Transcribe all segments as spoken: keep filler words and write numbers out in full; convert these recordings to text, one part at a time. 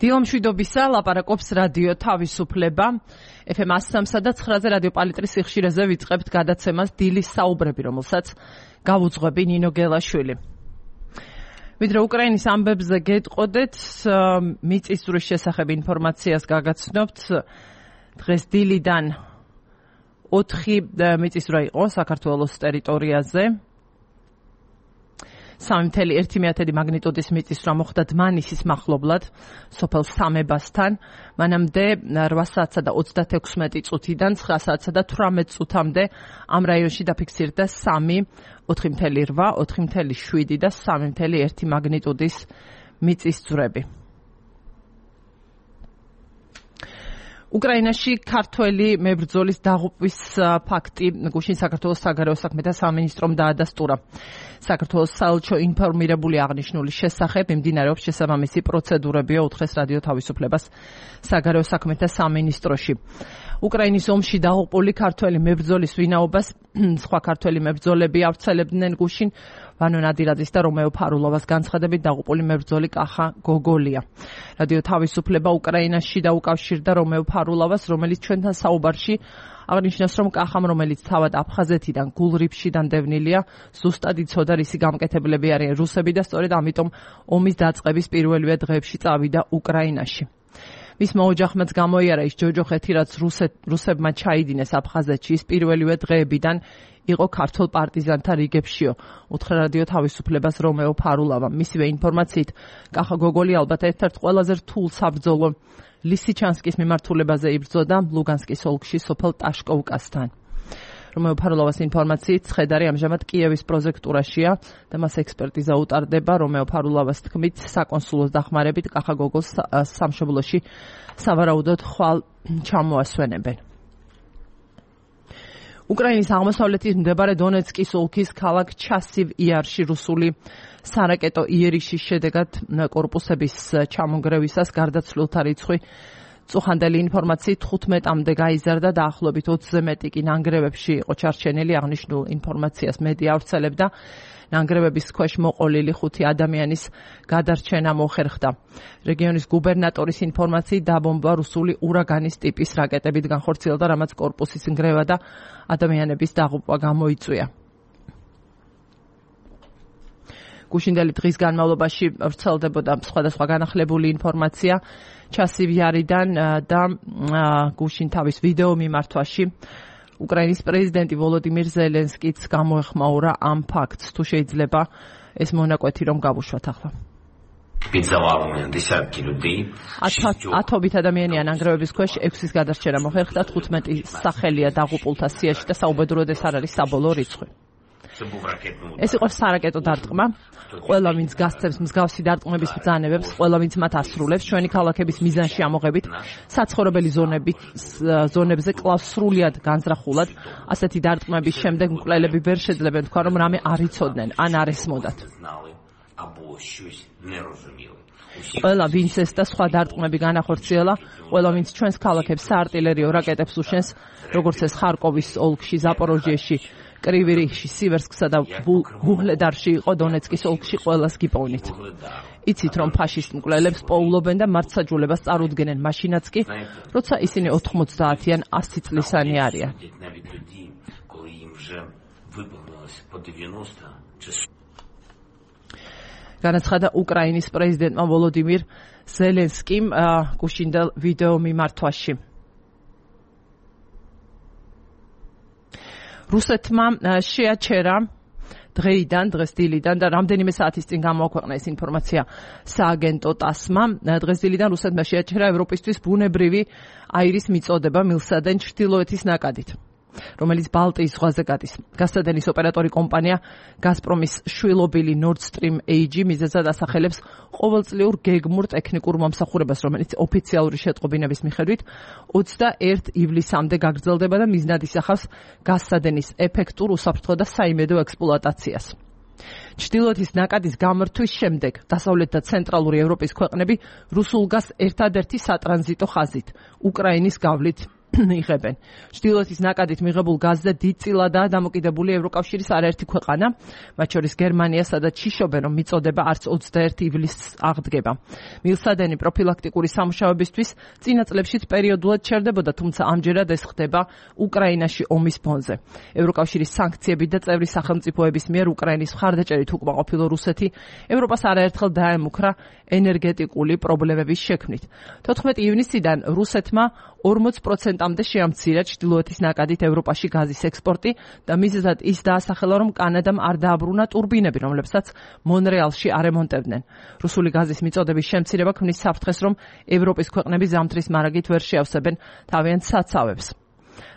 დილამშვიდობისა, ლაპარაკობს რადიო თავისუფლება. ეფ ემ one oh three და nine-ზე რადიო პალიტრის სიხშირეზე ვიწყებთ გადაცემას დილის საუბრები, რომელსაც გავუძღვები ნინო გელაშვილი. ვიდრე უკრაინის ამბებზე გეტყოდეთ, მიწისძვრის შესახებ ინფორმაციას გაგაცნობთ. დღეს დილიდან ოთხი მიწისძვრა იყო საქართველოს ტერიტორიაზე. სამი წუთი ერთი მაგნიტუდის მიწისძვრა მოხდა დმანისის მახლობლად, სოფელ სამებასთან. მანამდე რვა საათსა და ოცდათექვსმეტი წუთიდან ცხრა საათსა და თვრამეტ წუთამდე ამ რაიონში დაფიქსირდა სამი, ოთხი წუთი რვა, ოთხი წუთი შვიდი და სამი წუთი ერთი მაგნიტუდის მიწისძვრები. უკრაინაში ქართველი მებრძოლის დაღუპვის ფაქტი გუშინ საქართველოს საგარეო საქმეთა სამინისტრომ დაადასტურა. საქართველოს საელჩო ინფორმირებული აღნიშნული შესახებ მიმდინარეობს შესაბამისი პროცედურებია, უთხრეს რადიო თავისუფლებას საგარეო საქმეთა სამინისტროში. უკრაინის ომში დაღუპული ქართველი მებრძოლის ვინაობას სხვა ქართველი მებრძოლები ავრცელებდნენ გუშინ. ვანო ნადირაძის და რომეო ფარულოვას განცხადებით დაღუპული მებრძოლი კახა გოგოლია. რადიო თავისუფლება უკრაინაში დაუკავშირდა რომეო ფარულოვას, რომელიც ჩვენთან საუბარში აღნიშნავს, რომ კახამ, რომელიც თავად აფხაზეთიდან გულრიფში დანდევნილია, ზუსტად იცოდა, რისი გამკეთებლები არიან რუსები და სწორედ ამიტომ ომის დაწყების პირველივე დღეებში წავიდა უკრაინაში. მისმა ოჯახმაც გამოიარა ის ჯოჯოხეთი, რაც რუსებმა ჩაიდინეს აფხაზეთში, ის პირველივე დღეებიდან იყო ქართულ პარტიზანთა რიგებშიო, უთხრა რადიო თავისუფლებას რომეო ფარულავა. მისივე ინფორმაციით, კახა გოგოლი ალბათ ერთ-ერთ ყველაზე რთულ საბრძოლო ლისიჩანსკის მიმართულებაზე იბრძოდა ლუგანსკის ოლქში სოფელ ტაშკოვკასთან. რომეო ფარულოვას ინფორმაციით, ცხედარი ამჟამად კიევის პროზექტურაშია და მას ექსპერტიზა უტარდება. რომეო ფარულოვას თქმით, საკონსულოს დახმარებით კახა გოგოლს სამშობლოში სავარაუდოდ ხვალ ჩამოასვენებენ. უკრაინის აღმოსავლეთით მდებარე დონეცკის ოლქის ქალაქ ჩასივ იარში რუსული სარაკეტო იერიშის შედეგად კორპუსების ჩამონგრევისას გარდაცვლილთა რიცხვი წუხანდელი ინფორმაციით თხუთმეტამდე გაიზარდა, დაახლოებით ოცზე მეტი კი ნანგრევებში იყო ჩარჩენილი. აღნიშნულ ინფორმაციას მედია ავრცელებდა. ნანგრევების ქვეშ მოყოლილი ხუთი ადამიანის გადარჩენა მოხერხდა. რეგიონის გუბერნატორის ინფორმაციით დაბომბვა რუსული ურაგანის ტიპის რაკეტებით განხორციელდა, რამაც კორპუსის ნგრევა და ადამიანების დაღუპვა გამოიწვია. გუშინდელი დღის განმავლობაში ვრცელდებოდა სხვადასხვა განახლებული ინფორმაცია ჩასივიარიდან და გუშინ თავის ვიდეო მიმართვაში უკრაინის პრეზიდენტი ვოლოდიმირ ზელენსკიც გამოეხმაურა ამ ფაქტს. თუ შეიძლება ეს მონაკვეთი რომ გავუშვათ ახლა. ათობით ადამიანია ნანგრევების ქვეშ, ექვსის გადარჩენა მოხერხდა, თხუთმეტი სახელია დაღუპულთა სიაში და საუბედუროდ ეს არ არის საბოლოო რიცხვი. ეს იყო სარაკეტო დარტყმა. ყველა ვინც გასცემს მსგავსი დარტყმების ბრძანებებს, ყველა ვინც მათ ასრულებს, ჩვენი ქალაქების მიზანში ამოღებით, საცხოვრებელი ზონებზე კლავს სრულიად განზრახულად. ასეთი დარტყმების შემდეგ მკვლელები ვერ შეძლებენ თქვა, რომ რამე არ იცოდნენ ან არ ესმოდათ. ყველა ვინც ეს და სხვა დარტყმები განახორციელა, ყველა ვინც ჩვენს ქალაქებს საარტილერიო რაკეტებს უშენს, როგორც ეს ხარკოვის ოლქში, ზაპოროჟიეში, კრივირიხში, სივერსკსა და ვუჰლედარში იყო, დონეცკის ოლქში ყველას გიპოვნით. იცით, რომ ფაშისტ მკვლელებს პოულობენ და მართსაჯულებას წარუდგენენ მაშინაც კი, როცა ისინი ოთხმოცდაათიან ასი წლისანი არიან. განაცხადა უკრაინის პრეზიდენტმა ვოლოდიმირ ზელენსკიმ გუშინდელ ვიდეო მიმართვაში. რუსეთმა შეაჩერა დღეიდან, დღეს დილიდან და რამდენიმე საათის წინ გამოაქვეყნა ეს ინფორმაცია სააგენტო ტასმა. დღეს დილიდან რუსეთმა შეაჩერა ევროპისთვის ბუნებრივი აირის მიწოდება მილსადენ ჩრდილოეთის ნაკადით, რომელიც ბალტიის ზღვაზე გადის. გასცადენის ოპერატორი კომპანია გაზპრომის შვილობილი Nord Stream ეი ჯი მიზეზად ასახელებს ყოველწლიურ გეგმურ ტექნიკურ მომსახურებას, რომელიც ოფიციალური შეტყობინების მიხედვით ოცდაერთი ივლისამდე გაგრძელდება და მიზნად ისახავს გასცადენის ეფექტურ, უსაფრთხო და საიმედო ექსპლუატაციას. ჩრდილოეთის ნაკადის გამრთვის შემდეგ დასავლეთ და ცენტრალური ევროპის ქვეყნები რუსულ გაზს ერთადერთი სატრანზიტო ხაზით უკრაინის გავლით იღებენ. ჩრდილოეთის ნაკადით მიღებულ გაზზე დიდწილადაა დამოკიდებული ევროკავშირის არაერთი ქვეყანა, მათ შორის გერმანია, სადაც შიშობენ, რომ მიწოდება არც ოცდაერთი ივლისს აღდგება. მილსადენი პროფილაქტიკური სამუშაოებისთვის წინა წლებშიც პერიოდულად ჩერდებოდა, თუმცა ამჯერად ეს ხდება უკრაინაში ომის ფონზე. ევროკავშირის სანქციები და წევრი სახელმწიფოების მიერ უკრაინის მხარდაჭერით უკმაყოფილო რუსეთი ევროპას არაერთხელ დაემუქრა ენერგეტიკული პრობლემების შექმნით. თოთხმეტი ივნისიდან რუსეთმა ორმოც პროცენტამდე შეამცირა ჩრდილოეთის ნაკადით ევროპაში გაზის ექსპორტი და მიზეზად ის დაასახელა, რომ კანადამ არ დააბრუნა ტურბინები, რომლებსაც მონრეალში არემონტებდნენ. რუსული გაზის მიწოდების შემცირება ქმნის საფრთხეს, რომ ევროპის ქვეყნები ზამთრის მარაგით ვერ შეავსებენ თავიანთ საცავებს,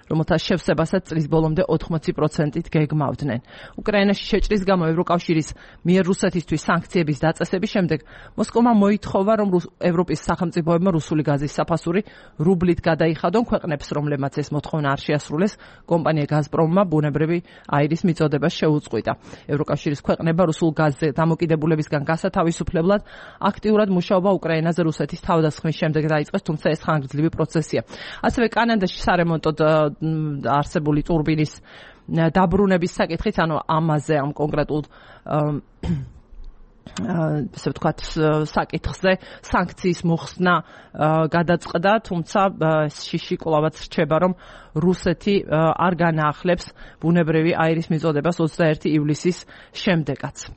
რომელთა შევსებასაც წლის ბოლომდე ოთხმოცი პროცენტით გეგმავდნენ. უკრაინაში შეჭრის გამო ევროკავშირის მიერ რუსეთისთვის სანქციების დაწესების შემდეგ მოსკოვმა მოითხოვა, რომ ევროპის სახელმწიფოებმა რუსული გაზის საფასური რუბლით გადაიხადონ ქვეყნებს, რომლებმაც ეს მოთხოვნა არ შეასრულეს, კომპანია გაზპრომმა ბუნებრივი აირის მიწოდებას შეუწყვიტა. ევროკავშირის ქვეყნება რუსულ გაზზე დამოკიდებულებისგან გასათავისუფლებლად აქტიურად მუშაობა უკრაინაზე რუსეთის თავდასხმის შემდეგ დაიწყეს, თუმცა ეს ხანგრძლივი პროცესია. ასევე კანადაში სარემონტოდ არსებული ტურბინის დაბრუნების საკითხით, ანუ ამაზე ამ კონკრეტულ ესე ვთქვათ საკითხზე სანქციის მოხსნა გადაწყდა, თუმცა შიში კვლავაც რჩება, რომ რუსეთი არ განაახლებს ბუნებრივი აირის მიწოდებას ოცდაერთი ივლისის შემდეგაც.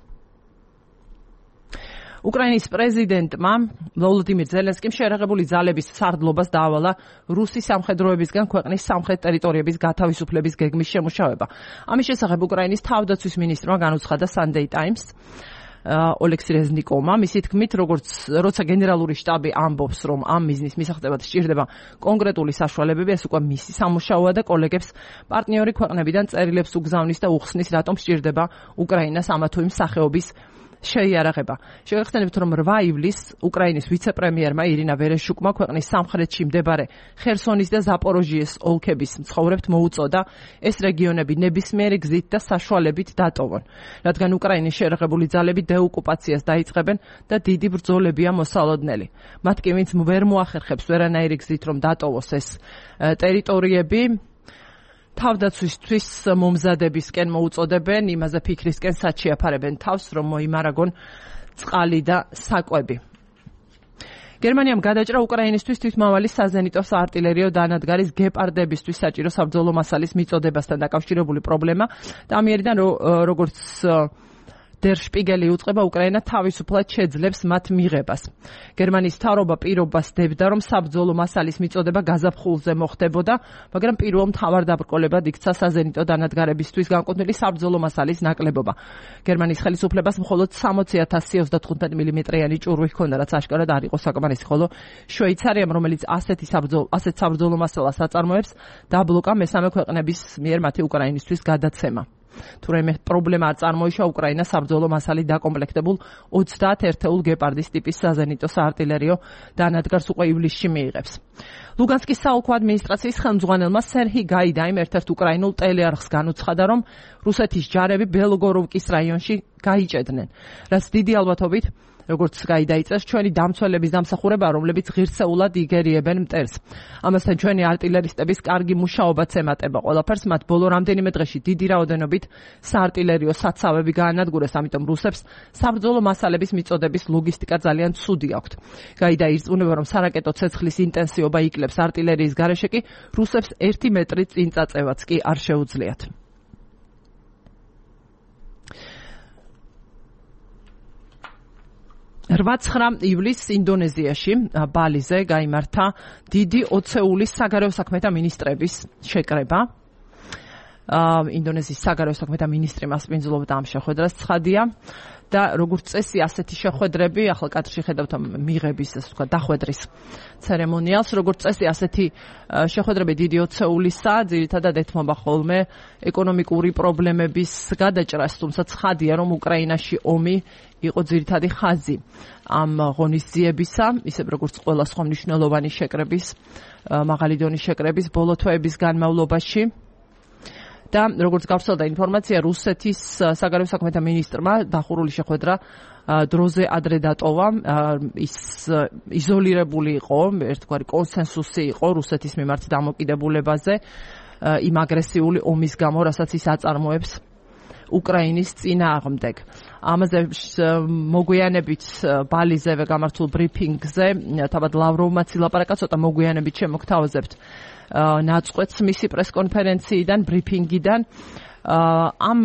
უკრაინის პრეზიდენტმა ვოლოდიმირ ზელენსკიმ შეერაღებული ძალების სარდლობას დაავალა რუსი სამხედროებისგან ქვეყნის სამხრეთ ტერიტორიების გათავისუფლების გეგმის შემუშავება. ამის შესახებ უკრაინის თავდაცვის მინისტრმა განუცხადა Sunday Times ოლექსი რეზნიკოვმა, მისი თქმით, როგორც როცა გენერალური შტაბი ამბობს, რომ ამ მიზნის მისაღწევად სჭირდება კონკრეტული საშუალებები, ეს უკვე მისი სამუშაოა და კოლეგებს პარტნიორი ქვეყნებიდან წერილებს უგზავნის და უხსნის, რატომ სჭირდება უკრაინას ამა თუ იმ სახეობის შეიარაღება. შეგახსენებთ, რომ რვა ივლისს უკრაინის ვიცე-პრემიერმა ირინა ვერეშუკმა ქვეყნის სამხრეთში მდებარე ხერსონის და ზაპოროჟიეს ოლქების მცხოვრებთ მოუწოდა ეს რეგიონები ნებისმიერი გზით და საშუალებით დატოვონ, რადგან უკრაინის შეერაღებული ძალები დეოკუპაციას დაიწყებენ და დიდი ბრძოლებია მოსალოდნელი. მათ კი ვინც ვერ მოახერხებს ვერანაირი გზით, რომ დატოვოს ეს ტერიტორიები, თავდაცვისთვის მომზადებისკენ მოუწოდებენ, იმაზე ფიქრისკენ საჩიაფარებენ თავს, რომ მოიმარაგონ წყალი და საკვები. გერმანიამ გადაჭრა უკრაინისთვის თვითმავალი საზენიტო საარტილერიო დანადგარის გეპარდებისთვის საჭირო საბრძოლო მასალის მიწოდებასთან დაკავშირებული პრობლემა და ამიერიდან როგორც Der Spiegel უწყება უკრაინა თავისუფლად შეძლებს მათ მიღებას. გერმანიის მთავრობა პირობას დებდა, რომ საბრძოლო მასალის მიწოდება გაზაფხულზე მოხდებოდა, მაგრამ პირველ მთავარ დაბრკოლებად იქცა საზენიტო დანადგარებისთვის განკუთვნილი საბრძოლო მასალის ნაკლებობა. გერმანიის ხელისუფლებას მხოლოდ სამოცი ათასი ოცდათხუთმეტი მილიმეტრიანი ჭურვი ჰქონდა, რაც აშკარად არ იყო საკმარისი, ხოლო შვეიცარიამ, რომელიც ასეთი საბრძოლო ასეთ საბრძოლო მასალას აწარმოებს, დაბლოკა მესამე ქვეყნების მიერ მათი უკრაინისთვის გადაცემა. თუ რაიმე პრობლემა არ წარმოიშვა, უკრაინა საბრძოლო მასალით დაკომპლექტებულ ოცდაათ ერთეულ გეპარდის ტიპის საზენიტო საარტილერიო დანადგარს უკვე ივლისში მიიღებს. ლუგანსკის საოლქო ადმინისტრაციის ხელმძღვანელმა სერჰი გაიდაიმ ერთ-ერთ უკრაინულ ტელეარხს განუცხადა, რომ რუსეთის ჯარები ბელგოროვკის რაიონში გაიჭედნენ, რაც დიდი ალბათობით როგორც გაიდაიწეს ჩვენი დამცველების დამსახურება, რომლებიც ღირსეულად იგერიებენ მტერს. ამასთან ჩვენი არტილერისტების კარგი მუშაობაც ემატება ყველაფერს, მათ ბოლო რამდენიმე დღეში დიდი რაოდენობით საარტილერიო საცავები გაანადგურეს, ამიტომ რუსებს საბრძოლო მასალების მიწოდების ლოგისტიკა ძალიან ცუდი აქვთ. გაიდა ირწმუნება, რომ სარაკეტო ცეცხლის ინტენსივობა იკლებს არტილერიის გარეშე კი რუსებს ერთი მეტრი წინ წაწევაც კი არ შეუძლიათ. რვა-ცხრა ივლისს ინდონეზიაში ბალიზე გაიმართა დიდი ოცეულის საგარეო საქმეთა მინისტრების შეკრება. ინდონეზიის საგარეო საქმეთა მინისტრი მასპინძლობდა ამ შეხვედრას, ცხადია. და როგორც წესი ასეთი შეხვედრები, ახლა კადრში ხედავთ მიღების, ასე ვთქვათ, დახვედრის ცერემონიალს, როგორც წესი ასეთი შეხვედრები დიდი ოცეულისა, ძირითადად ეთმობა ხოლმე ეკონომიკური პრობლემების გადაჭრას, თუმცა ცხადია, რომ უკრაინაში ომი იყო ძირითადი ხაზი ამ ღონისძიებისა, ისე როგორც ყველა სხვა მნიშვნელოვანი შეკრების, მაღალი დონის შეკრების ბოლო თვეების განმავლობაში. და როგორც გავრცელდა ინფორმაცია, რუსეთის საგარეო საქმეთა მინისტრმა დახურული შეხვედრა დროზე ადრე დატოვა. ის იზოლირებული იყო, ერთგვარი კონსენსუსი იყო რუსეთის მიმართ დამოკიდებულებაზე იმ აგრესიული ომის გამო, რასაც ის აწარმოებს უკრაინის წინააღმდეგ. ამაზე მოგვიანებით ბალიზევე გამართულ ბრიფინგზე თავად ლავროვმაც ილაპარაკა, ცოტა მოგვიანებით შემოგთავაზებთ ნაწყვეტს მისი პრესკონფერენციიდან, ბრიფინგიდან. ამ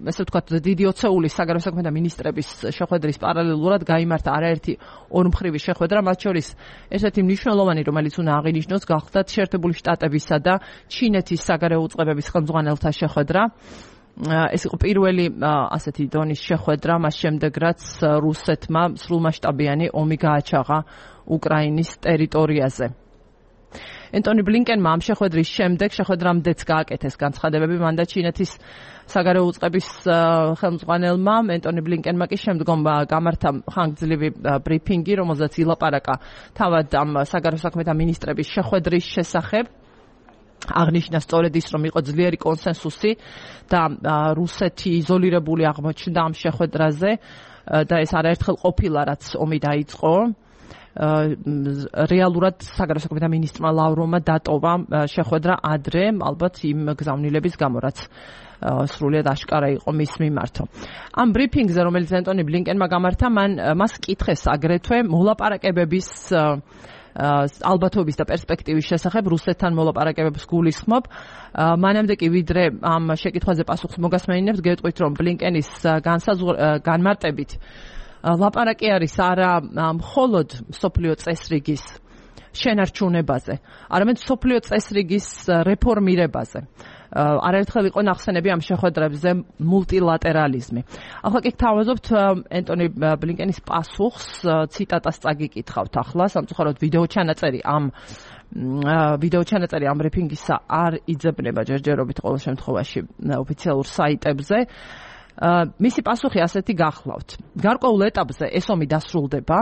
ესე ვთქვათ დიდი ოცეულის საგარეო საქმეთა მინისტრების შეხვედრის პარალელურად გაიმართა არაერთი ორმხრივი შეხვედრა, მათ შორის ერთ-ერთი მნიშვნელოვანი, რომელიც უნდა აღინიშნოს, გახლდათ შეერთებული შტატებისა და ჩინეთის საგარეო უწყებების ხელმძღვანელთა შეხვედრა. ეს იყო პირველი ასეთი დონის შეხვედრა მას შემდეგ, რაც რუსეთმა სრულმასშტაბიანი ომი გააჩაღა უკრაინის ტერიტორიაზე. ენტონი ბლინკენმა ამ შეხვედრის შემდეგ შეხვედრამდეც გააკეთეს განცხადებები, მან და ჩინეთის საგარეო უწყების ხელმძღვანელმა ენტონი ბლინკენმა კი შემდგომ გამართა ხანგრძლივი ბრიფინგი, რომელზეც ილაპარაკა თავად ამ საგარეო საქმეთა მინისტრების შეხვედრის შესახებ. აღნიშნა სწორედ ის, რომ იყო ძლიერი კონსენსუსი და რუსეთი იზოლირებული აღმოჩნდა ამ შეხვედრაზე და ეს არაერთხელ ყოფილა, რაც ომი დაიწყო. რეალურად საგარეო საქმეთა მინისტრმა ლავროვმა დატოვა შეხვედრა ადრე, ალბათ იმ გზავნილების გამო, რაც სრულიად აშკარა იყო მის მიმართო. ამ ბრიფინგზე, რომელიც ენტონი ბლინკენმა გამართა, მან მას კითხეს აგრეთვე მოლაპარაკებების ალბათობის და პერსპექტივის შესახებ, რუსეთთან მოლაპარაკებებს გულისხმობ. მანამდე კი ვიდრე ამ შეკითხვაზე პასუხს მოგასმენინებთ, გეტყვით, რომ ბლინკენის განმარტებით ლაპარაკი არის არა მხოლოდ მსოფლიო წესრიგის შენარჩუნებაზე, არამედ მსოფლიო წესრიგის რეფორმირებაზე. არაერთხელ იყო ნახსენები ამ შეხვედრებზე მულტილატერალიზმი. ახლა კი გთავაზობთ ენტონი ბლინკენის პასუხს, ციტატას წაგიკითხავთ ახლა, სამწუხაროდ ვიდეო ჩანაწერი ამ ვიდეო ჩანაწერი ამ ბრიფინგისა არ იძებნება ჯერჯერობით ყოველ შემთხვევაში ოფიციალურ საიტებზე. მისი პასუხი ასეთი გახლავთ. გარკვეულ ეტაპზე ეს ომი დასრულდება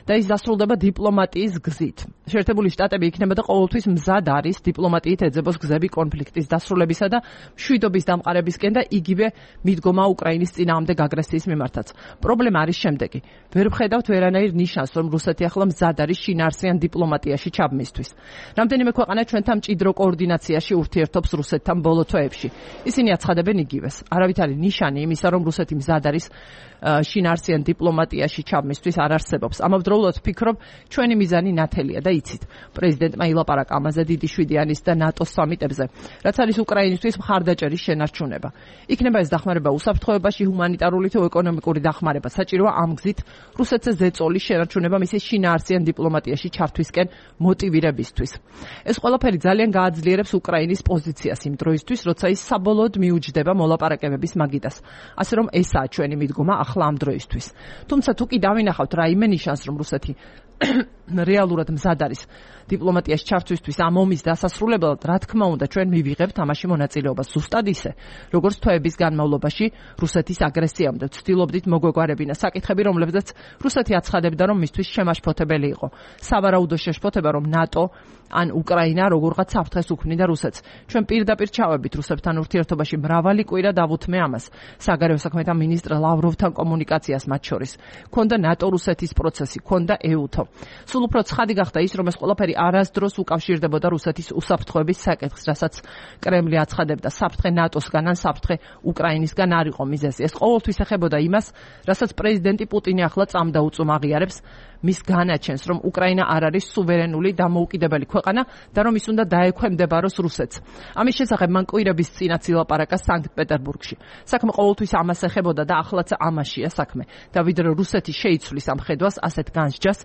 და ის დასრულდება დიპლომატიის გზით. შეერთებული შტატები იქნება და ყოველთვის მზად არის დიპლომატიით ეძებოს გზები კონფლიქტის დასრულებისა და მშვიდობის დამყარებისკენ და იგივე მიდგომა უკრაინის წინააღმდეგ აგრესიის მიმართაც. პრობლემა არის შემდეგი. ვერ ვხედავთ ვერანაირ ნიშანს, რომ რუსეთი ახლა მზად არის შინაარსიან დიპლომატიაში ჩაბმისთვის. რამდენიმე ქვეყანა ჩვენთან მჭიდრო კოორდინაციაში ურთიერთობს რუსეთთან ბოლო თვეებში. ისინი აცხადებენ იგივეს. არავით არის ნიშანი იმის რომ რუსეთი მზად არის შინაარსიან დიპლომატიაში ჩაბმისთვის არ არსებობს. ამავდროულად ვფიქრობ, ჩვენი მიზანი ნათელია და იცით. პრეზიდენტმა ილაპარაკა ამაზე დიდი შვიდიანის და ნატოს სამიტებზე, რაც არის უკრაინისთვის მხარდაჭერის შენარჩუნება. იქნება ეს დახმარება უსაფრთხოებაში, ჰუმანიტარული თუ ეკონომიკური დახმარება. საჭიროა ამ გზით რუსეთზე ზეწოლის შენარჩუნება მისი შინაარსიან დიპლომატიაში ჩართვისკენ მოტივირებისთვის. ეს ყველაფერი ძალიან გააძლიერებს უკრაინის პოზიციას იმ დროისთვის, როცა ის საბოლოოდ მიუჯდება მოლაპარაკებების მაგიდას. ასე რომ ესაა ჩვენი მიდგომა ახლა ამ დროისთვის. თუმცა თუ კი დავინახავთ რაიმე ნიშანს, რომ რუსეთი რეალურად მზად არის დიპლომატიაში ჩართვისთვის ამ ომის დასასრულებლად, რა თქმა უნდა, ჩვენ მივიღებთ ამაში მონაწილეობას ზუსტად ისე, როგორც თვეების განმავლობაში რუსეთის აგრესიამდე ვცდილობდით მოგვეგვარებინა საკითხები, რომლებზეც რუსეთი აცხადებდა, რომ მისთვის შემაშფოთებელი იყო. სავარაუდო შეშფოთება, რომ ნატო ან უკრაინა როგორღაც საფრთხეს უქმნიდა რუსეთს. ჩვენ პირდაპირ ჩავებით რუსებთან ურთიერთობაში მრავალი კვირა დავუთმე ამას. საგარეო საქმეთა მინისტრ ლავროვთან კომუნიკაციას მათ შორის. ქონდა ნატო-რუსეთის პროცესი, ქონდა ეუთო. სულ უფრო ცხადი გახდა ის, რომ ეს ყველაფერი არასდროს უკავშირდებოდა რუსეთის უსაფრთხოების საკითხს, რასაც კრემლი აცხადებდა. საფრთხე ნატოსგან ან საფრთხე უკრაინისგან არ იყო მიზეზი. ეს ყოველთვის ეხებოდა იმას, რასაც პრეზიდენტი პუტინი ახლა წამდაუწում აღიარებს, მის განაჩენს, რომ უკრაინა არ არის სუვერენული დამოუკიდებელი ქვეყანა და რომ ის უნდა დაექვემდებაროს რუსეთს. ამის შესახებ მან კვირების წინაც ილაპარაკა სანქტ-პეტერბურგში. საქმე ყოველთვის ამას ეხებოდა და ახლაც ამაშია საქმე. და ვიდრე რუსეთი შეიცვლის ამ ხედვას, ასეთ განსჯას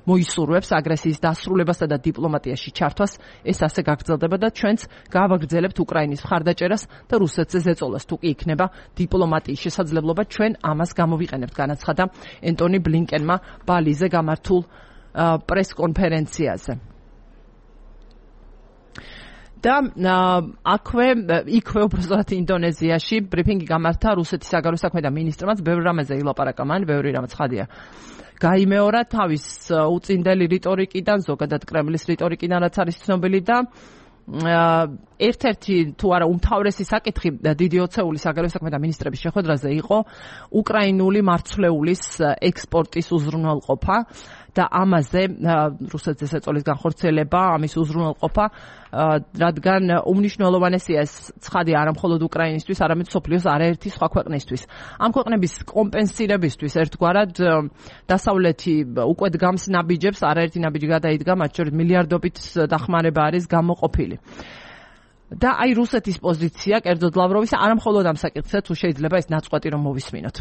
მოისურვებს აგრესიის დასრულებასა და დიპლომატიაში ჩართვას, ეს ასე გაგრძელდება და ჩვენც გავაგრძელებთ უკრაინის მხარდაჭერას და რუსეთზე ზეწოლას. თუ კი იქნება დიპლომატიის შესაძლებლობა, ჩვენ ამას გამოვიყენებთ, განაცხადა ენტონი ბლინკენმა ბალიზე გამართულ პრესკონფერენციაზე. და აქვე იქვე უბრალოდ ინდონეზიაში ბრიფინგი გამართა რუსეთის საგარეო საქმეთა მინისტრმაც, ბევრ რამეზე ილაპარაკა მან, ბევრი რამაც ხადია გაიმეორა თავის უწინდელი რიტორიკიდან, ზოგადად კრემლის რიტორიკიდან, რაც არის ცნობილი და ერთ-ერთი თუ არა უმთავრესი საკითხი დიდი ოცეულის საგარეო საქმეთა მინისტრების შეხვედრაზე იყო უკრაინული მარცვლეულის ექსპორტის უზრუნველყოფა და ამაზე რუსეთს ეწოლის განხორციელება, ამის უზრუნველყოფა, რადგან უმნიშვნელოვანესია ეს ცხადი არა მხოლოდ უკრაინისთვის, არამედ მსოფლიოს არაერთი სხვა ქვეყნისთვის. ამ ქვეყნების კომპენსირებისთვის ერთგვარად დასავლეთი უკვე დგამს ნაბიჯებს, არაერთი ნაბიჯი გადაიდგა, მათ შორის მილიარდობით დახმარება არის გამოყოფილი. და აი რუსეთის პოზიცია, კერძოდ ლავროვის, არა მხოლოდ ამ საკითხზე, თუ შეიძლება ეს ნაწყვეტი რომ მოვისმინოთ.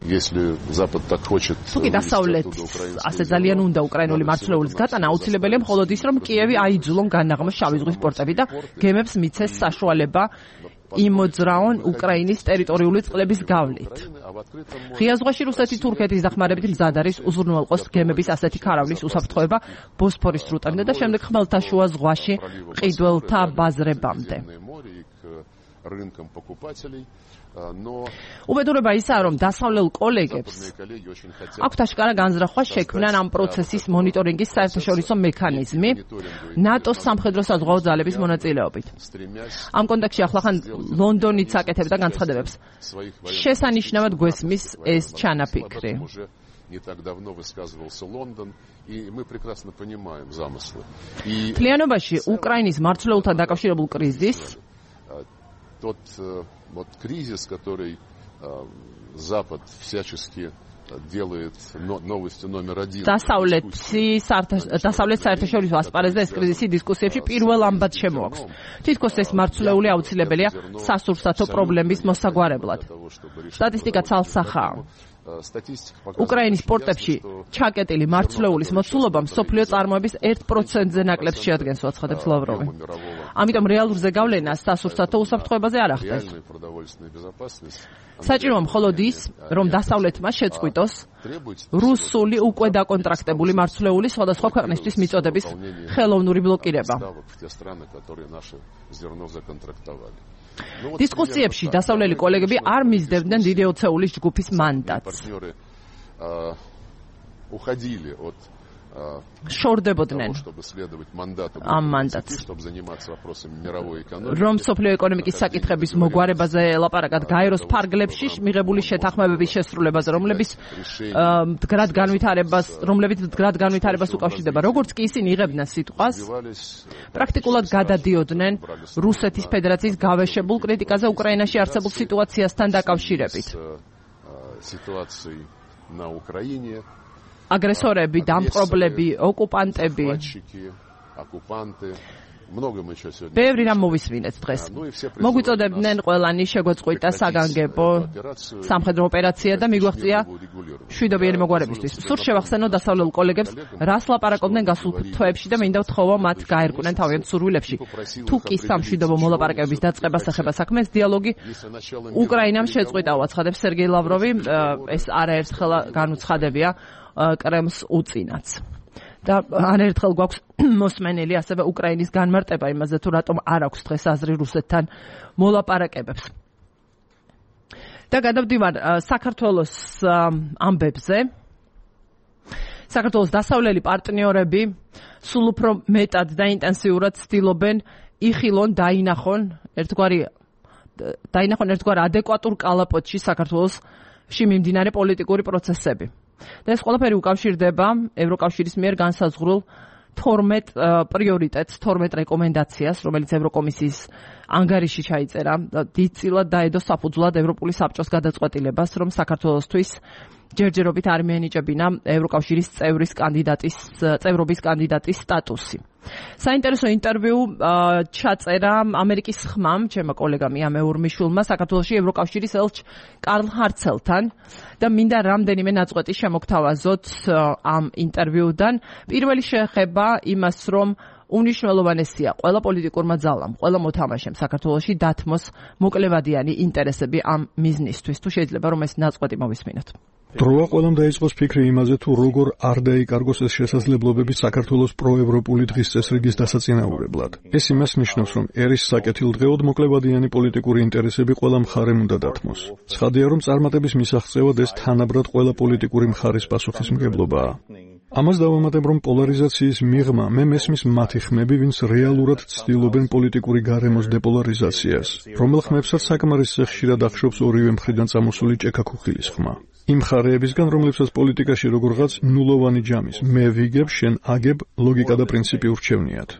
Если Запад так хочет, თუკი დასავლეთ ასე ძალიან უნდა უკრაინული მარცვლეულის გატანა, აუცილებელია მხოლოდ ის, რომ კიევი აიძულონ განაღმოს შავი ზღვის პორტები და გემებს მიცეს საშუალება იმოძრაონ უკრაინის ტერიტორიული წყლების გავლით. ღია ზღვაში რუსეთი თურქეთის დახმარებით მზად არის უზრუნველყოს გემების ასეთი ქარავნის უსაფრთხოება ბოსფორის სრუტამდე და შემდეგ ხმელთაშუა ზღვაში მყიდველთა ბაზრებამდე. უბედურება ისაა, რომ დასავლელ კოლეგებს აქვთ აშკარა განზრახვა შექმნან ამ პროცესის მონიტორინგის საერთაშორისო მექანიზმი ნატოს სამხედრო-საზღვაო ძალების მონაწილეობით. ამ კონტექსტში ახლახან ლონდონიც აკეთებდა განცხადებებს. შესანიშნავად გვესმის ეს ჩანაფიქრი. Не так давно высказывался Лондон, и мы прекрасно понимаем замыслы. Თლიანობაში უკრაინის მარცვლეულთან დაკავშირებულ კრიზისს тот вот кризис, который Запад всячески делает новостью номер один. დასავლეთი დასავლეთ საერთაშორისო ასპარეზზე ეს კრიზისი დისკუსიებში პირველ ამბად შემოაქვს. თითქოს ეს მარცვლეული აუცილებელია სასურსათო პრობლემის მოსაგვარებლად. სტატისტიკა ცალსახაა. უკრაინის პორტებში ჩაკეტილი მარცვლეულის მოცულობა მსოფლიო წარმოების ერთ პროცენტზე ნაკლებს შეადგენს, უაცხადებს ლავროვი. ამიტომ რეალურ ზეგავლენას სასურსათო უსაფრთხოებაზე არ ახდენს. საჭიროა მხოლოდ ის, რომ დასავლეთმა შეწყვიტოს რუსული უკვე დაკონტრაქტებული მარცვლეული სხვადასხვა ქვეყნისთვის მიწოდების ხელოვნური ბლოკირება. დისკუსიებში დასავლელი კოლეგები არ მისდევდნენ დიდი ოცეულის ჯგუფის მანდატს. შორდებოდნენ ამ მანდატს. რომ მსოფლიო ეკონომიკის საკითხების მოგვარებაზე ელაპარაკათ გაეროს ფარგლებში მიღებული შეთანხმებების შესრულებაზე, რომლებიც მდგრად განვითარებას, რომლებიც მდგრად განვითარებას უკავშირდება. როგორც კი ისინი იღებდნენ სიტყვას, პრაქტიკულად გადადიოდნენ რუსეთის ფედერაციის გავეშებულ კრიტიკაზე უკრაინაში არსებულ სიტუაციასთან დაკავშირებით. აგრესორები, დამპყრობლები, ოკუპანტები. ბევრი რამ მოვისმინეთ დღეს. მოგვიწოდებდნენ ყველანი შეგვეწყვიტა საგანგებო სამხედრო ოპერაცია და მიგვაღწია შვიდობიანი მოგვარებისთვის. სულ შევახსენო დასავლელ კოლეგებს, რას ლაპარაკობდნენ გასულ თვეებში და მინდა ვთხოვო მათ გაერკვნენ თავიანთ სურვილებში. თუ კი სამშვიდობო მოლაპარაკებების დაწყებას ეხება საქმეს, დიალოგი უკრაინამ შეწყვიტა, უაცხადებს სერგეი ლავროვი, ეს არაერთხელ განუცხადებია კრემლს უწინაც. და არაერთხელ გვაქვს მოსმენელი ასევე უკრაინის განმარტება იმაზე, თუ რატომ არ აქვს დღეს აზრი რუსეთთან მოლაპარაკებებს. და გადავდივარ საქართველოს ამბებზე. საქართველოს დასავლელი პარტნიორები სულ უფრო მეტად და ინტენსიურად ცდილობენ იხილონ დაინახონ ერთგვარი დაინახონ ერთგვარ ადეკვატურ კალაპოტში საქართველოსში მიმდინარე პოლიტიკური პროცესები. და ეს ყველაფერი უკავშირდება ევროკავშირის მიერ განსაზღვრულ თორმეტ პრიორიტეტს, თორმეტ რეკომენდაციას, რომელიც ევროკომისიის ანგარიში ჩაიწერა, დიდწილად დაედო საფუძვლად ევროპული საბჭოს გადაწყვეტილებას, რომ საქართველოსთვის ჯერჯერობით არ მიენიჭებინა ევროკავშირის წევრის კანდიდატის წევრობის კანდიდატის სტატუსი. საინტერესო ინტერვიუ ჩაწერა ამერიკის ხმამ, ჩემო კოლეგამ იამე ურმიშვილმა საქართველოში ევროკავშირის ელჩ კარლ ჰარცელთან და მინდა რამდენიმე ნაწყვეტი შემოგთავაზოთ ამ ინტერვიუდან. პირველი შეეხება იმას, რომ უნიშნელოვანესია ყველა პოლიტიკურმა ძალამ, ყველა მოთამაშემ საქართველოში დათმოს მოკლევადიანი ინტერესები ამ მიზნისთვის. თუ შეიძლება რომ ეს ნაწყვეტი მოვისმინოთ. დროა ყველამ დაიწყოს ფიქრი იმაზე, თუ როგორ არ დაიკარგოს ეს შესაძლებლობები საქართველოს პროევროპული დღის წესრიგის დასაწინაურებლად. ეს იმას ნიშნავს, რომ ერის საკეთილდღეოდ მოკლევადიანი პოლიტიკური ინტერესები ყველა მხარემ უნდა დათმოს. ცხადია, რომ წარმატების მისაღწევად ეს თანაბრად ყველა პოლიტიკური მხარის პასუხისმგებლობაა. ამას დავამატებ, რომ პოლარიზაციის მიღმა მე მესმის მათი ხმები, ვინც რეალურად ცდილობენ პოლიტიკური გარემოს დეპოლარიზაციას, რომელ ხმებსაც საკმარისზე ხშირად ახშობს ორივე მხრიდან წამოსული ჭექა-ქუხილის ხმა. იმ მხარეებისგან, რომლებსაც პოლიტიკაში როგორღაც ნულოვანი ჯამის მე ვიგებ, შენ აგებ ლოგიკა და პრინციპი ურჩევნიათ.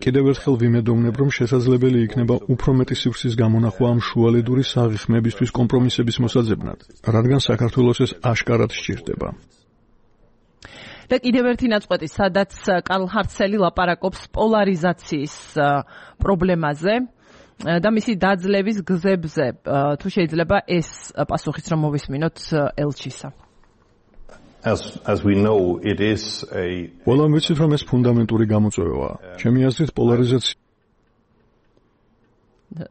კიდევ ერთხელ ვიმედოვნებ, რომ შესაძლებელი იქნება უფრო მეტი სივრცის გამონახვა ამ შუალედური საღი ხმებისთვის კომპრომისების მოსაძებნად, რადგან საქართველოს ეს აშკარად სჭირდება. და კიდევ ერთი ნაწყვეტი, სადაც კარლ ჰარცელი ლაპარაკობს პოლარიზაციის პრობლემაზე და მისი დაძლევის გზებზე. თუ შეიძლება ეს პასუხიც რომ მოვისმინოთ ელჩისა. As as we know, it is a ყველამ ვიცით, რომ ეს ფუნდამენტური გამოწვევაა. ჩემი აზრით, პოლარიზაცია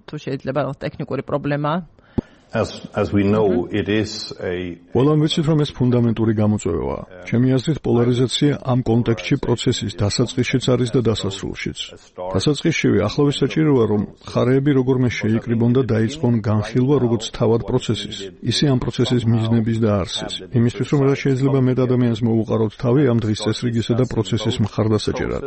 თუ შეიძლება ტექნიკური პრობლემაა. As as we know, it is a ყველამ ვიცით, რომ ეს ფუნდამენტური გამოწვევაა. ჩემი აზრით, პოლარიზაცია ამ კონტექსტში პროცესის დასაწყისშიც არის და დასასრულშიც. დასაწყისშივე ახლავე საჭიროა, რომ მხარეები როგორმე შეიკრიბონ და დაიწყონ განხილვა როგორც თავად პროცესის, ისე ამ პროცესის მიზნების და არსის. იმისთვის, რომ რა შეიძლება მეტ ადამიანს მოუყაროთ თავი ამ დღის წესრიგისა და პროცესის მხარდასაჭერად.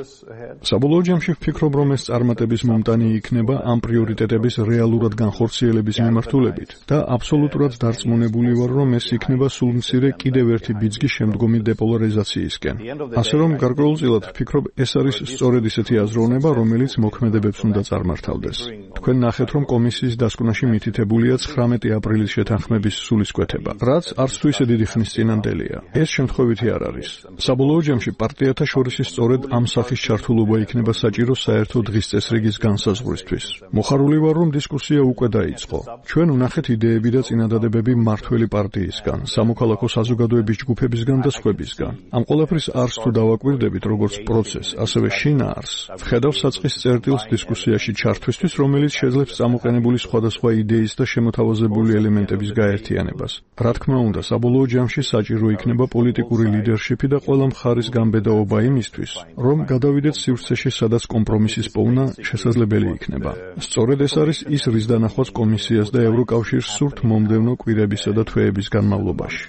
საბოლოო ჯამში ვფიქრობ, რომ ეს წარმატების მომტანი იქნება ამ პრიორიტეტების რეალურად განხორციელების მიმართულებით. და აბსოლუტურად დარწმუნებული ვარ, რომ ეს იქნება სულ მცირე კიდევ ერთი ბიძგი შემდგომი დეპოლარიზაციისკენ. ასე რომ გარკვეულწილად ვფიქრობ, ეს არის სწორედ ისეთი აზროვნება, რომელიც მოქმედებებს უნდა წარმართავდეს. თქვენ ნახეთ, რომ კომისიის დასკვნაში მითითებულია ცხრამეტი აპრილის შეთანხმების სულისკვეთება, რაც არც თუ ისე დიდი ხნის წინანდელია. ეს შემთხვევითი არ არის. საბოლოო ჯამში პარტიათა შორის სწორედ ამ სახის ჩართულობა იქნება საჭირო საერთო დღის წესრიგის განსაზღვრისთვის. მოხარული ვარ, რომ დისკუსია უკვე დაიწყო. ჩვენ ვნახეთ იდეები და წინადადებები მართველი პარტიისგან, სამოქალაქო საზოგადოების ჯგუფებისგან და სხვებისგან. ამ ყველაფრის არს თუ დავაკვირდებით როგორც პროცესს, ასევე შინაარსს, ვხედავ საწყის წერტილს დისკუსიაში ჩართვისთვის, რომელიც შეძლებს წამოყენებული სხვადასხვა იდეის და შემოთავაზებული ელემენტების გაერთიანებას. რა თქმა უნდა, საბოლოო ჯამში საჭირო იქნება პოლიტიკური ლიდერშიპი და ყველა მხარის გამბედაობა იმისთვის, რომ გადავიდეთ სივრცეში, სადაც კომპრომისის პოვნა შესაძლებელი იქნება. სწორედ ეს არის ის, რის დანახვაც კომისიას და ევროკავშირს სურთ მომდევნო კვირებისა და თვეების განმავლობაში.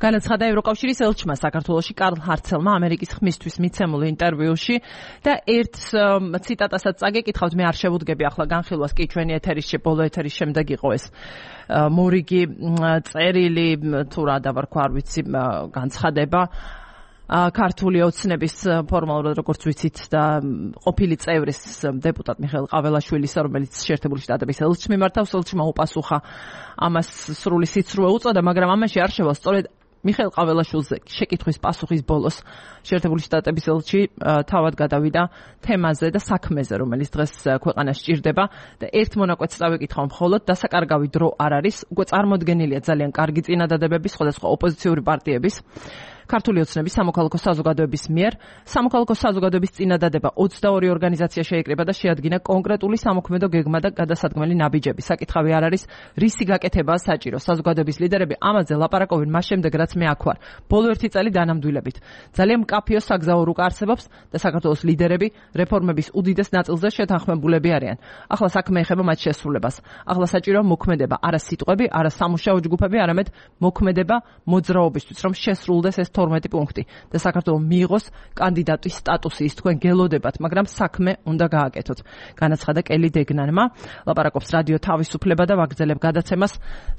განაცხადა ევროკავშირის ელჩმა საქართველოში კარლ ჰარცელმა ამერიკის ხმისთვის მიცემულ ინტერვიუში და ერთ ციტატასაც წაგეკითხავთ, მე არ შევუდგები ახლა განხილვას, კი ჩვენი ეთერის ბოლო ეთერის შემდეგ იყო ეს მორიგი წერილი, თუ რა დავარქვა, არ ვიცი, განცხადება ქართული ოცნების ფორმალურად როგორც ვიცით და ყოფილი წევრის დეპუტატ მიხეილ ყაველაშვილის, რომელიც შეერთებული შტატების ელჩს მიმართავს, ელჩმა უპასუხა ამას სრული სიცრუე უწოდა, მაგრამ ამაში არ შევა სწორედ მიხეილ ყაველაშვილზე შეკითხვის პასუხის ბოლოს შეერთებული შტატების ელჩი თავად გადავიდა თემაზე და საქმეზე, რომელიც დღეს ქვეყანას სჭირდება და ერთ მონაკვეთს წავეკითხავ მხოლოდ, დასაკარგავი დრო არ არის, უკვე წარმოდგენილია ძალიან კარგი წინადადებები სხვადასხვა ოპოზიციური პარტიების ქართული ოცნების სამოქალაქო საზოგადოების მიერ. სამოქალაქო საზოგადოების წინადადება ოცდაორი ორგანიზაცია შეიკრიბა და შეადგინა კონკრეტული სამოქმედო გეგმა და გადასადგმელი ნაბიჯები. საკითხავი არ არის, რისი გაკეთებაა საჭირო. საზოგადოების ლიდერები ამაზე ლაპარაკობენ მას შემდეგ, რაც მე აქ ვარ. ბოლო ერთი წელი დანამდვილებით. ძალიან მკაფიო საგზაო რუკა არსებობს და საქართველოს ლიდერები რეფორმების უდიდეს ნაწილზე შეთანხმებულები არიან. ახლა საქმე ეხება მათ შესრულებას. ახლა საჭიროა მოქმედება, არა სიტყვები, არა სამუშაო ჯგუფები, არამედ მოქმედება მოძრაობისთვის, რომ შესრულდეს ეს თორმეტი პუნქტი და საქართველოს მიიღოს კანდიდატის სტატუსი. ის თქვენ გელოდებათ, მაგრამ საქმე უნდა გააკეთოთ. განაცხადა კელი დეგნანმა. ლაპარაკობს რადიო თავისუფლება და ვაგრძელებ გადაცემას.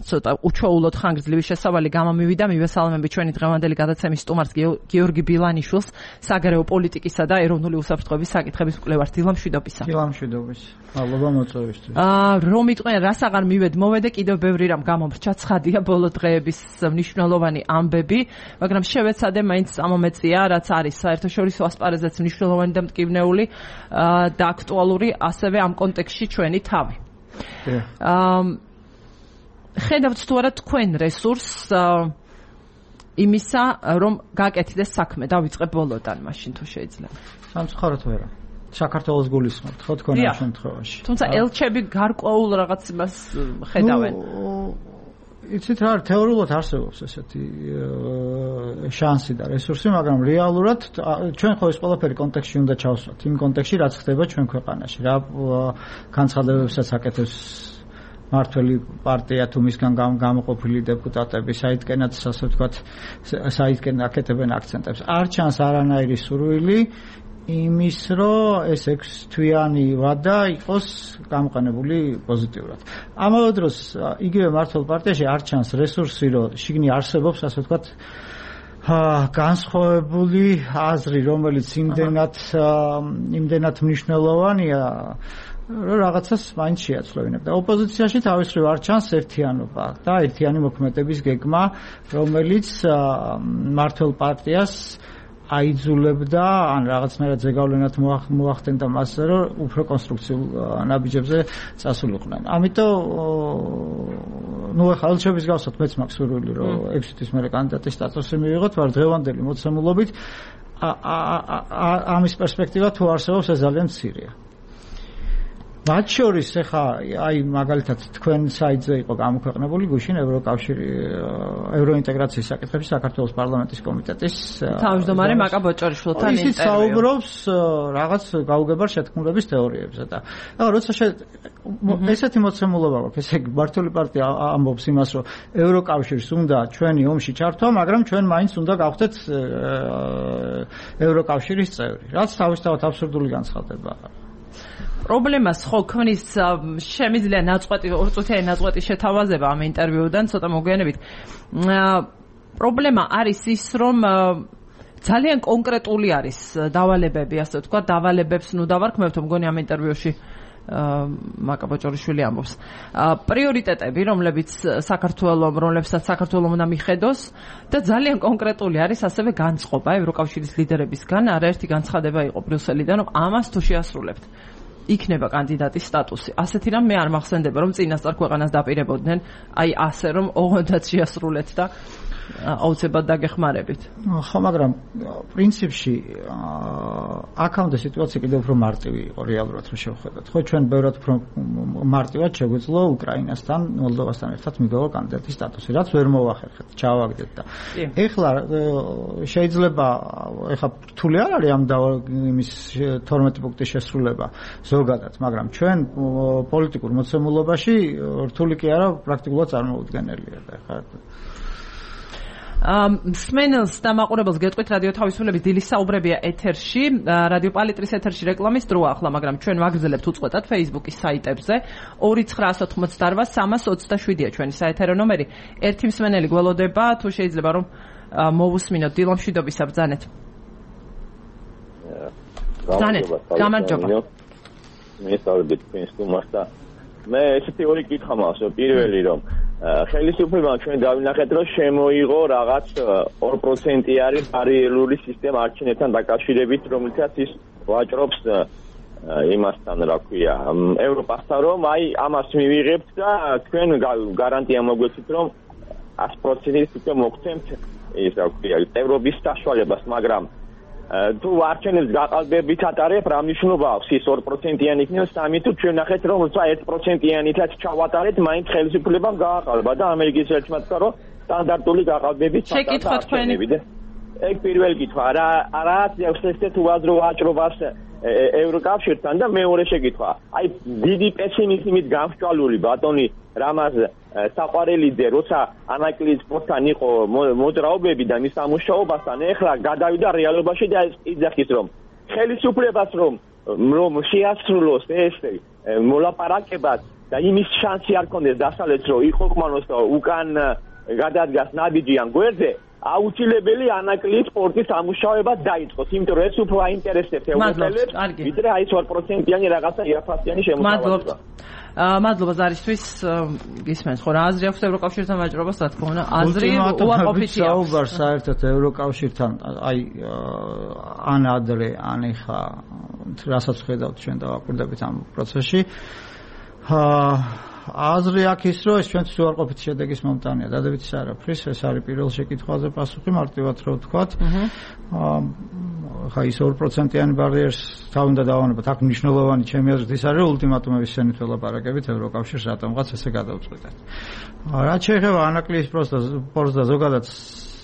ცოტა უჩვეულოდ ხანგრძლივი შესავალი გამომივიდა. მივესალმები ჩვენი დღევანდელი გადაცემის სტუმარს გიორგი ბილანიშვილს, საგარეო პოლიტიკისა და ეროვნული უსაფრთხოების საკითხების მკვლევარს. დილამშვიდობისა. დილამშვიდობის. მადლობა მოწვევისთვის. აა რომ იყვენ რას აღარ მივედ მოვედე, კიდევ ბევრი რამ გამომრჩა, ცხადია ბოლო დღეების მნიშვნელოვანი ამბები, მაგრამ შევეცადე მაინც ამომეწია, რაც არის საერთაშორისო ასპარეზეც მნიშვნელოვანი და მტკივნეული და აქტუალური, ასევე ამ კონტექსტში ჩვენი თავი. აა ხედავთ თუ არა თქვენ რესურსს იმისა, რომ გაკეთდეს საქმე, დავიწყებ ბოლოდან, მაშინ თუ შეიძლება. სამწუხაროდ ვერა. საქართველოს გულისხმობთ, ხო თქვენ ამ შემთხვევაში. თუმცა ელჩები გარკვეულ რაღაც იმას ხედავენ. იცით რა, თეორიულად არსებობს ესეთი შანსი და რესურსი, მაგრამ რეალურად ჩვენ ხო ეს ყველაფერი კონტექსტში უნდა ჩავსვათ. იმ კონტექსტში, რაც ხდება ჩვენ ქვეყანაში. რა განცხადებებსაც აკეთებს მართველი პარტია თუ მისგან გამოყოფილი დეპუტატები საითკენაც ასე ვთქვათ საითკენ აკეთებენ აქცენტებს. არ ჩანს არანაირი სურვილი იმის, რომ ეს ექვსთვიანი ვადა იყოს გამოყენებული პოზიტიურად. ამავე დროს იგივე მართლ პარტიაში არ ჩანს რესურსი, რომ შიგნი არსებობს ასე ვთქვათ განსხვავებული აზრი, რომელიც იმდენად იმდენად მნიშვნელოვანია, რომ რაღაცას მაინც შეაცვლევინებ. და ოპოზიციაში თავისრივ არ ჩანს ერთიანობა და ერთიანი მოქმედების გეგმა, რომელიც მართლ პარტიას აიძულებდა ან რაღაცნაირად ზეგავლენად მოახდენდა მასზე, რომ უფრო კონსტრუქციულ ნაბიჯებზე წასულიყვნენ. ამიტომ ნუ ახლა ალჩების გავსოთ მეც მაქვს სურვილი, რომ ექვსი თვის მერე კანდიდატის სტატუსი მივიღოთ, ვარ დღევანდელი მოცემულობით ამის პერსპექტივა თუ არსებობს, ეს ძალიან მცირეა. მათ შორის ახლა აი მაგალითად თქვენ საიტზე იყო გამოქვეყნებული გუშინ ევროკავშირი ევროინტეგრაციის საკითხებში საქართველოს პარლამენტის კომიტეტის თავმჯდომარე მაკა ბოჭორიშვილთან ინტერვიუ. ისიც საუბრობს რაღაც გაუგებარ შეთქმულების თეორიებზე და ახლა როცა ესეთი მოცემულობა გვაქვს, ესე იგი მართული პარტია ამბობს იმას, რომ ევროკავშირს უნდა ჩვენი ომში ჩართვა, მაგრამ ჩვენ მაინც უნდა გავხდეთ ევროკავშირის წევრი, რაც თავისთავად აბსურდული განცხადება. პრობლემას ხო ქმნის შემიძლია ნაწყვეტი ორწუთიანი ნაწყვეტი შეთავაზება ამ ინტერვიუდან ცოტა მოგვიანებით. პრობლემა არის ის, რომ ძალიან კონკრეტული არის დავალებები, ასე ვთქვათ, დავალებებს ნუ დავარქმევთ, მგონი ამ ინტერვიუში მაკა ბოჭორიშვილი ამბობს. პრიორიტეტები, რომლებიც საქართველოს, რომლებსაც საქართველოს უნდა მიხედოს და ძალიან კონკრეტული არის ასევე განწყობა ევროკავშირის ლიდერებისგან, არაერთი განცხადება იყო ბრიუსელიდან, რომ ამას თუ შეასრულებთ იქნება კანდიდატის სტატუსი. ასეთი რამ მე არ მახსენდება, რომ წინასწარ ქვეყანას დაპირებოდნენ, აი ასე რომ ოღონდაც შეასრულეთ და აუცილებლად დაგეხმარებით. ხო, მაგრამ პრინციპში აქამდე სიტუაცია კიდევ უფრო მარტივი იყო რეალურად რომ შევხედოთ. ხო, ჩვენ ბევრად უფრო მარტივად შეგვეძლო უკრაინასთან, მოლდოვასთან ერთად მიგავა კანდიდატის სტატუსი, რაც ვერ მოახერხეთ, ჩავაგდეთ და ეხლა შეიძლება ეხლა რთული არ არის ამ იმის თორმეტი პუნქტის შესრულება ზოგადად, მაგრამ ჩვენ პოლიტიკურ მოცემულობაში რთული კი არა, პრაქტიკულად წარმოუდგენელია და ეხლა სმენელს და მაყურებელს გეტყვით რადიო თავისუფლების დილის საუბრებია ეთერში, რადიო პალიტრის ეთერში რეკლამის დროა ახლა, მაგრამ ჩვენ ვაგრძელებთ უწყვეტად Facebook-ის საიტებზე. ორი ცხრა ოცდაოთხმოცდაოთხ სამას ოცდაშვიდია ჩვენი საეთერო ნომერი. ერთი მსმენელი გველოდება, თუ შეიძლება რომ მოვუსმინოთ. დილო მშვიდობისა, ბრძანეთ. ბრძანეთ. გამარჯობა. მე სწავლობდი თქვენ სტუმარს და მე ესეთი ორი კითხვა მაქვს. პირველი რომ ხელისუფლებამ ჩვენ დავინახეთ, რომ შემოიღო რაღაც ორ პროცენტიანი ბარიერული სისტემა არჩევნებთან დაკავშირებით, რომლითაც ის ვაჭრობს იმასთან, რა ქვია, ევროპასთან, რომ აი ამას მივიღებთ და თქვენ გარანტია მოგვეცით, რომ ათი პროცენტით უკვე მოგცემთ ის რა ქვია, ევროპის საშუალებას, მაგრამ თუ არჩევნებს გაყალბებით ატარებ, რა მნიშვნელობა აქვს ის ორ პროცენტიანი იქნება სამი თუ ჩვენ ნახეთ რომ როცა ერთ პროცენტიანითაც ჩავატარეთ, მაინც ხელისუფლებამ გააყალბა და ამერიკის ერთმა თქვა რომ სტანდარტული გაყალბებით შეკითხვა თქვენი. ეგ პირველი კითხვა, რა რაც აქვს ესეთ უაზრო ვაჭრობას ევროკავშირთან და მეორე შეკითხვა. აი დიდი პესიმიზმით გამსჭვალული ბატონი რამაზ საყვარელიძე, როცა ანაკლიის პოსტთან იყო მოძრაობები და მის სამუშაობასთან, ეხლა გადავიდა რეალობაში და იძახის რომ ხელისუფლებას რომ რომ შეასრულოს ეს მოლაპარაკებაც და იმის შანსი არ ქონდეს დასავლეთს რომ იყოფმანოს და უკან გადადგას ნაბიჯი ან გვერდზე, აუცილებელი ანაკლიის პორტის სამუშაოება დაიწყოს, იმიტომ რომ ეს უფრო აინტერესებს ევროპელებს, ვიდრე აი ეს ორ პროცენტიანი რაღაცა იაფასიანი შემოთავაზება. მადლობა ზარისთვის, გისმენთ ხო რა აზრი აქვს ევროკავშირთან ვაჭრობას, რა თქმა უნდა, აზრი უარყოფითი აქვს. საუბარ საერთოდ ევროკავშირთან, აი ან ადრე, ან ეხა რასაც ხედავთ ჩვენ დავაკვირდებით ამ პროცესში. აზრი აქვს ის, რომ ეს ჩვენთვის უარყოფითი შედეგის მომტანია. დადებითი არაფრის, ეს არის პირველ შეკითხვაზე პასუხი, მარტივად რო ვთქვათ. ხა ის ორ პროცენტიანი ბარიერს თავ უნდა დავანებოთ. აქ მნიშვნელოვანი ჩემი აზრით ის არის, ულტიმატუმების შენით ველაპარაკებით ევროკავშირს რატომღაც ესე გადავწყვეტეთ. რაც შეეხება ანაკლიის პორტს და ზოგადად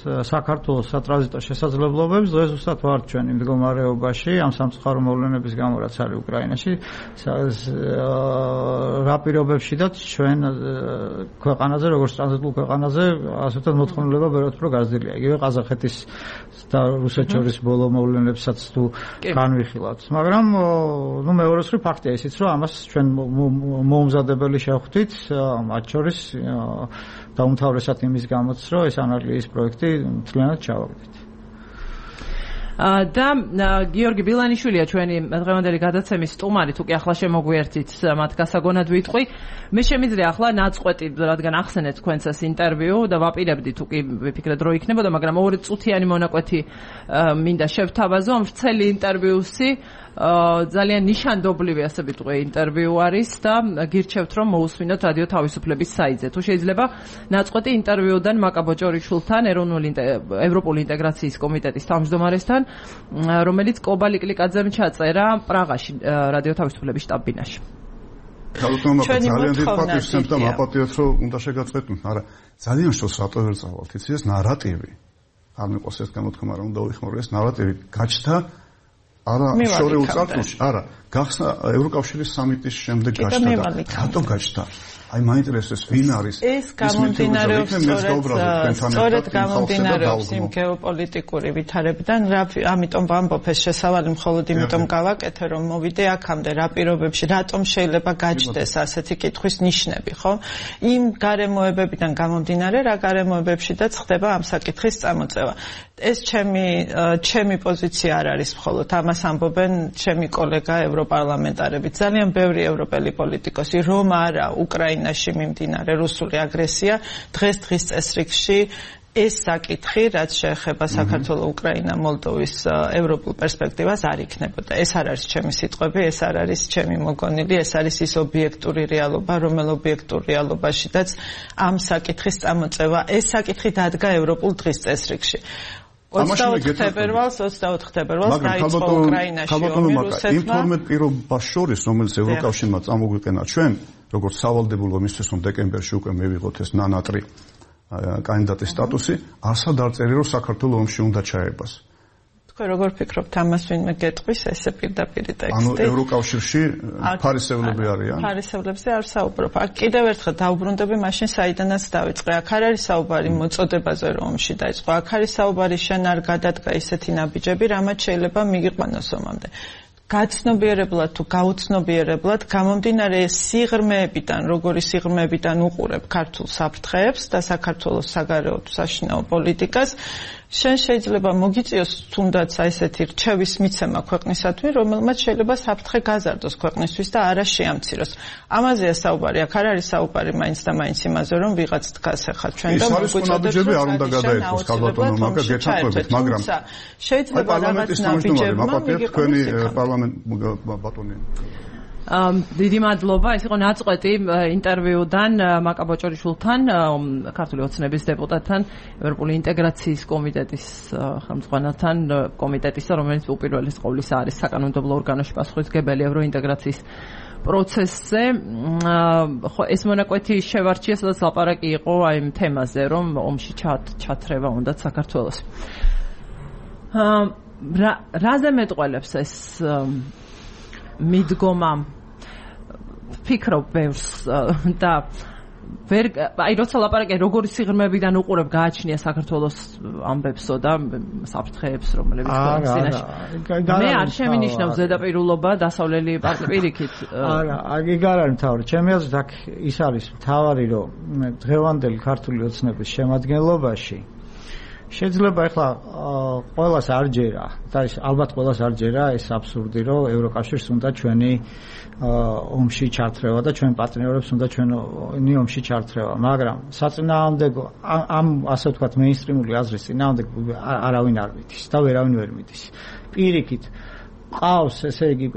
საქართველოს სატრანზიტო შესაძლებლობებს დღეს უბრალოდ ვართ ჩვენი მდგომარეობაში ამ სამწუხარო მოვლენების გამო რაც არის უკრაინაში რა პირობებშიდაც ჩვენ ქვეყანაზე როგორც ტრანზიტულ ქვეყანაზე ასე ვთქვათ მოთხოვნილება ბევრად უფრო გაზრდილია იგივე ყაზახეთის და რუსეთს შორის ბოლო მოვლენებსაც თუ განვიხილავთ მაგრამ ნუ მეორე სრი ფაქტია ისიც რომ ამას ჩვენ მოუმზადებელი შევხვდით მათ შორის დაუმთავრესად იმის გამოც რომ ეს ანალიზის პროექტი მთლიანად ჩავაგდეთ და გიორგი ბილანიშვილია ჩვენი დღევანდელი გადაცემის სტუმარი თუ კი ახლა შემოგვიერთით მათ გასაგონად ვიტყვი მე შემიძლია ახლა ნაწყვეტი რადგან ახსენეთ თქვენს ეს ინტერვიუ და ვაპირებდი თუ კი ვიფიქრეთ რომ იქნებოდა მაგრამ ორი წუთიანი მონაკვეთი მინდა შევთავაზო ამ ვრცელი ინტერვიუსი ძალიან ნიშანდობლივი ასე ვიტყვი ინტერვიუ არის და გირჩევთ რომ მოусმინოთ რადიო თავისუფლების საიტზე თუ შეიძლება ნაწყვეტი ინტერვიუდან მაკა ბოჭორიშვილთან ეროვნული ევროპული ინტეგრაციის კომიტეტის თავმჯდომარესთან რომელიც კობა ლიკლიკაძემ ჩაწერა პრაღაში რადიო თავისუფლების შტაბ-ბინაში ქალბატონო ძალიან დიდ პატივს სცემთ და მაპატიოთ რომ უნდა შეგაწყვეტნოთ არა ძალიან შორს რატო ვერ წავალთ იცი ეს ნარატივი არ მეყოს ეს გამოთქმა რომ უნდა ვიხმარო ეს ნარატივი გაჩნდა არა შორეულ წარსულში არა გახსნა ევროკავშირის სამიტის შემდეგ გაჩნდა და რატო გაჩნდა აი მაინტერესებს ვინ არის ეს გამომდინარეობს სწორედ გამომდინარეობს იმ გეოპოლიტიკური ვითარებიდან ამიტომ ვამბობ ეს შესავალი მხოლოდ იმიტომ გავაკეთე რომ მოვიდე აქამდე რა პირობებში რატომ შეიძლება გაჩნდეს ასეთი კითხვის ნიშნები ხო იმ გარემოებებიდან გამომდინარე რა გარემოებებშიდაც ხდება ამ საკითხის წამოწევა ეს ჩემი ჩემი პოზიცია არ არის მხოლოდ ამას ამბობენ ჩემი კოლეგა ევროპარლამენტარები ძალიან ბევრი ევროპელი პოლიტიკოსი რომ არა უკრაინაში მიმდინარე რუსული აგრესია დღეს დღის წესრიგში ეს საკითხი რაც შეეხება საქართველოს უკრაინა მოლდოვის ევროპულ პერსპექტივას არ იქნებოდა ეს არ არის ჩემი სიტყვები ეს არ არის ჩემი მოგონილი ეს არის ის ობიექტური რეალობა რომელ ობიექტურ რეალობაშიდაც ამ საკითხის წამოწევა ეს საკითხი დადგა ევროპულ დღის წესრიგში ოცდაოთხ თებერვალს ოცდაოთხ თებერვალს დაიწყო უკრაინაში ომი რუსეთმა იმ თორმეტ პირობას შორის რომელიც ევროკავშირმა წამოგვიყენა ჩვენ როგორც სავალდებულო მისთვის რომ დეკემბერში უკვე მივიღოთ ეს ნანატრი კანდიდატის სტატუსი არსად არ წერია რომ საქართველოს ომში უნდა ჩაებას თქვენ როგორ ფიქრობთ ამას ვინმე გეტყვის ესე პირდაპირ ტექსტი ანუ ევროკავშირში ფარისევლები არიან ფარისევლებზე არ საუბრობ აქ კიდევ ერთხელ დაუბრუნდები მაშინ საიდანაც დავიწყე აქ არ არის საუბარი მოწოდებაზე რომ ომში დაიწყო აქ არის საუბარი შენ არ გადადგა ისეთი ნაბიჯები რამაც შეიძლება მიგიყვანოს ომამდე გაცნობიერებლად თუ გაუცნობიერებლად გამომდინარე სიღრმეებიდან როგორი სიღრმეებიდან უყურებ ქართულ საფრთხეებს და საქართველოს საგარეო თუ საშინაო პოლიტიკას შენ შეიძლება მოგიწიოს თუნდაც ესეთი რჩევის მიცემა ქვეყნისადმი რომელმაც შეიძლება საფრთხე გაზარდოს ქვეყნისთვის და არა შეამციროს ამაზეა საუბარი აქ არ არის საუბარი მაინც და მაინც იმაზე რომ ვიღაც დგას ახლა ჩვენ და მოგვიწოდებს რომ არ უნდა გადაერთოს ქალბატონო მაგა გეთანხმებით მაგრამ შეიძლება რაღაც ნაბიჯებმა თქვენი პარლამენტ ბატონი დიდი მადლობა ეს იყო ნაწყვეტი ინტერვიუდან მაკა ბოჭორიშვილთან ქართული ოცნების დეპუტატთან ევროპული ინტეგრაციის კომიტეტის ხელმძღვანელთან კომიტეტისა რომელიც უპირველეს ყოვლისა არის საკანონმდებლო ორგანოში პასუხისმგებელი ევროინტეგრაციის პროცესზე ხო ეს მონაკვეთი შევარჩია სადაც ლაპარაკი იყო აი იმ თემაზე რომ ომში ჩათრევა უნდა საქართველოს რაზე მეტყველებს ეს მიდგომა ფიქრობ ბევრს და ვერ აი როცა ლაპარაკი როგორი სიღრმეებიდან უყურებ გააჩნია საქართველოს ამბებსო და საფრთხეებს რომლებიც ქვეყნაში მე არ შემინიშნავს ზედაპირულობა დასავლელი პარტნიორიკით არა აგი არ არის მთავარი ჩემი აზრით აქ ის არის მთავარი რომ დღევანდელი ქართული ოცნების შემადგენლობაში შეიძლება ახლა ყველას არ ჯერა და ის ალბათ ყველას არ ჯერა ეს აბსურდი რომ ევროკავშირს უნდა ჩვენი ომში ჩართრევა და ჩვენ პარტნიორებს უნდა ჩვენი ომში ჩართრევა მაგრამ საწინააღმდეგო ამ ასე ვთქვათ მეინსტრიმული აზრის წინააღმდეგ არავინ არ მიდის და ვერავინ ვერ მიდის პირიქით ყავს ესე იგი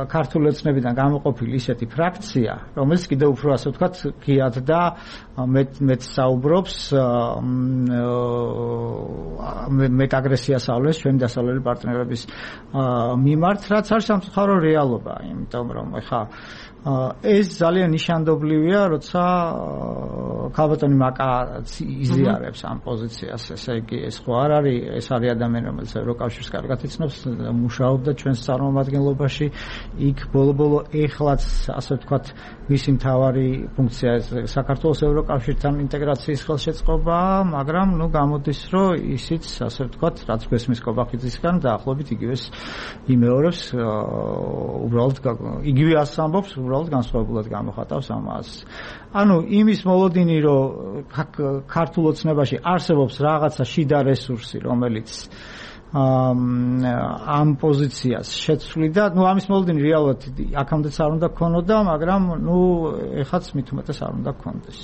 ქართული ოცნებიდან გამოყოფილი ისეთი ფრაქცია, რომელიც კიდევ უფრო ასე ვთქვათ, ღიად და მეტ მეტ საუბრობს მეტ აგრესიას ავლეს ჩვენი დასავლელი პარტნიორების მიმართ, რაც არის სამწუხარო რეალობა, იმიტომ რომ ეხა ეს ძალიან ნიშანდობლივია, როცა ქალბატონი მაკაც იზიარებს ამ პოზიციას, ესე იგი ეს ხო არ არის, ეს არის ადამიანი, რომელიც ევროკავშირს კარგად იცნობს, მუშაობდა ჩვენს წარმომადგენლობაში, იქ ბოლო-ბოლო ეხლაც ასე ვთქვათ, მისი მთავარი ფუნქცია საქართველოს ევროკავშირთან ინტეგრაციის ხელშეწყობაა, მაგრამ ნუ გამოდის, რომ ისიც ასე ვთქვათ, რაც გვესმის კობახიძისგან დაახლოებით იგივეს იმეორებს, უბრალოდ იგივე ასს ამბობს, უბრალოდ განსხვავებულად გამოხატავს ამას. ანუ იმის მოლოდინი, რომ ქართულ ოცნებაში არსებობს რაღაცა შიდა რესურსი, რომელიც ამ პოზიციას შეცვლიდა, ну ამის მოლოდინი რეალურად აქამდეც არ უნდა გქონოდა, მაგრამ ну ეხაც მით უმეტეს არ უნდა გქონდეს.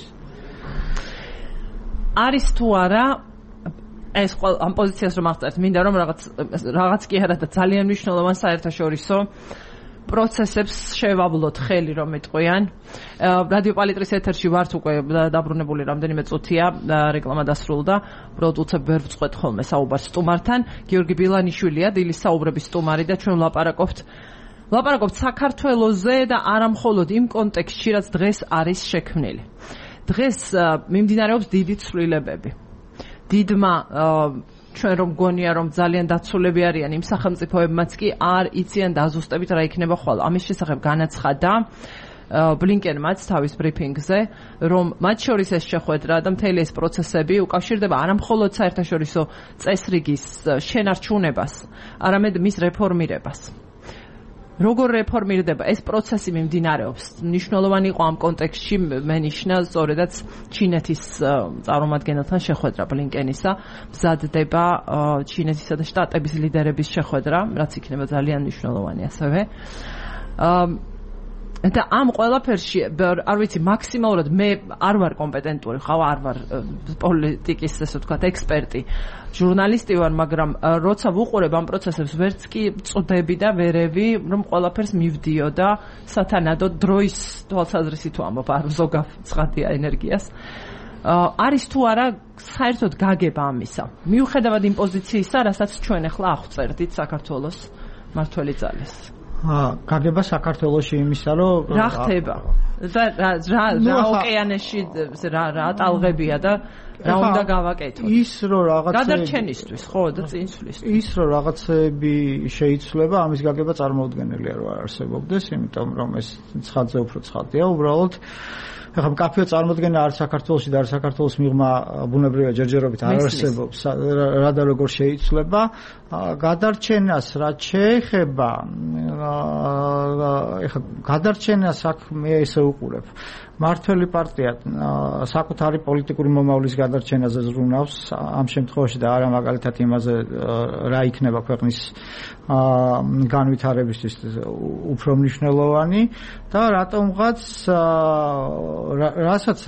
არის თუ არა ეს ამ პოზიციას რომ აღწერთ, მინდა რომ რაღაც რაღაც კი არა და ძალიან მნიშვნელოვან საერთაშორისო პროცესებს შევავლოთ ხელი რომ მეტყვიან. რადიო პალიტრის ეთერში ვართ უკვე დაბრუნებული რამდენიმე წუთია, რეკლამა დასრულდა. უბრალოდ უცებ ვერ ვწყვეტ ხოლმე საუბარს სტუმართან. გიორგი ბილანიშვილია, დილის საუბრების სტუმარი და ჩვენ ვლაპარაკობთ ვლაპარაკობთ საქართველოზე და არა მხოლოდ იმ კონტექსტში, რაც დღეს არის შექმნილი. დღეს მიმდინარეობს დიდი ცვლილებები. დიდმა ჩვენ რომ გონია რომ ძალიან დაცულები არიან იმ სახელმწიფოებმაც კი არ იციან დაზუსტებით რა იქნება ხვალ. ამის შესახებ განაცხადა ბლინკენმაც თავის ბრიფინგზე, რომ მათ შორის ეს შეხვედრა და მთელი ეს პროცესები უკავშირდება არა მხოლოდ საერთაშორისო წესრიგის შენარჩუნებას, არამედ მის რეფორმირებას. როგორ რეფორმირდება ეს პროცესი მიმდინარეობს? მნიშვნელოვანი იყო ამ კონტექსტში მენიშნა სწორედაც ჩინეთის წარმომადგენელთან შეხვედრა ბლინკენისა, მზადდება ჩინეთისა და შტატების ლიდერების შეხვედრა, რაც იქნება ძალიან მნიშვნელოვანი ასევე. და ამ ყველაფერში არ ვიცი მაქსიმალურად მე არ ვარ კომპეტენტური, ხავ არ ვარ პოლიტიკის ესე ვთქვათ ექსპერტი, ჟურნალისტი ვარ, მაგრამ როცა ვუყურებ ამ პროცესებს ვერც კი წვდები და ვერევი რომ ყველაფერს მივდიო და სათანადო დროის თვალსაზრისით ვამბობ, არ ზოგავ ცხადია ენერგიას. არის თუ არა საერთოდ გაგება ამისა, მიუხედავად იმ პოზიციისა, რასაც ჩვენ ახლა აღწერდით საქართველოს მართველი ძალის. გაგება საქართველოში იმისა, რომ რა ხდება და რა რა ოკეანეში რა რა ტალღებია და რა უნდა გავაკეთოთ. ის რომ რაღაცა გადარჩენისთვის, ხო, და წინსვლისთვის. ის რომ რაღაცები შეიცვლება, ამის გაგება წარმოუდგენელია რომ არ არსებობდეს, იმიტომ რომ ეს ცხადზე უფრო ცხადია, უბრალოდ ეხლა მკაფიო წარმოდგენა არ საქართველოში და არ საქართველოს მიღმა ბუნებრივია ჯერჯერობით არ არსებობს, რა და როგორ შეიცვლება. გადარჩენას რაც შეეხება, ეხლა გადარჩენას აქ მე ესე უყურებ. მართველი პარტია საკუთარი პოლიტიკური მომავლის გადარჩენაზე ზრუნავს ამ შემთხვევაში და არა მაგალითად იმაზე რა იქნება ქვეყნის განვითარებისთვის უფრო მნიშვნელოვანი და რატომღაც რასაც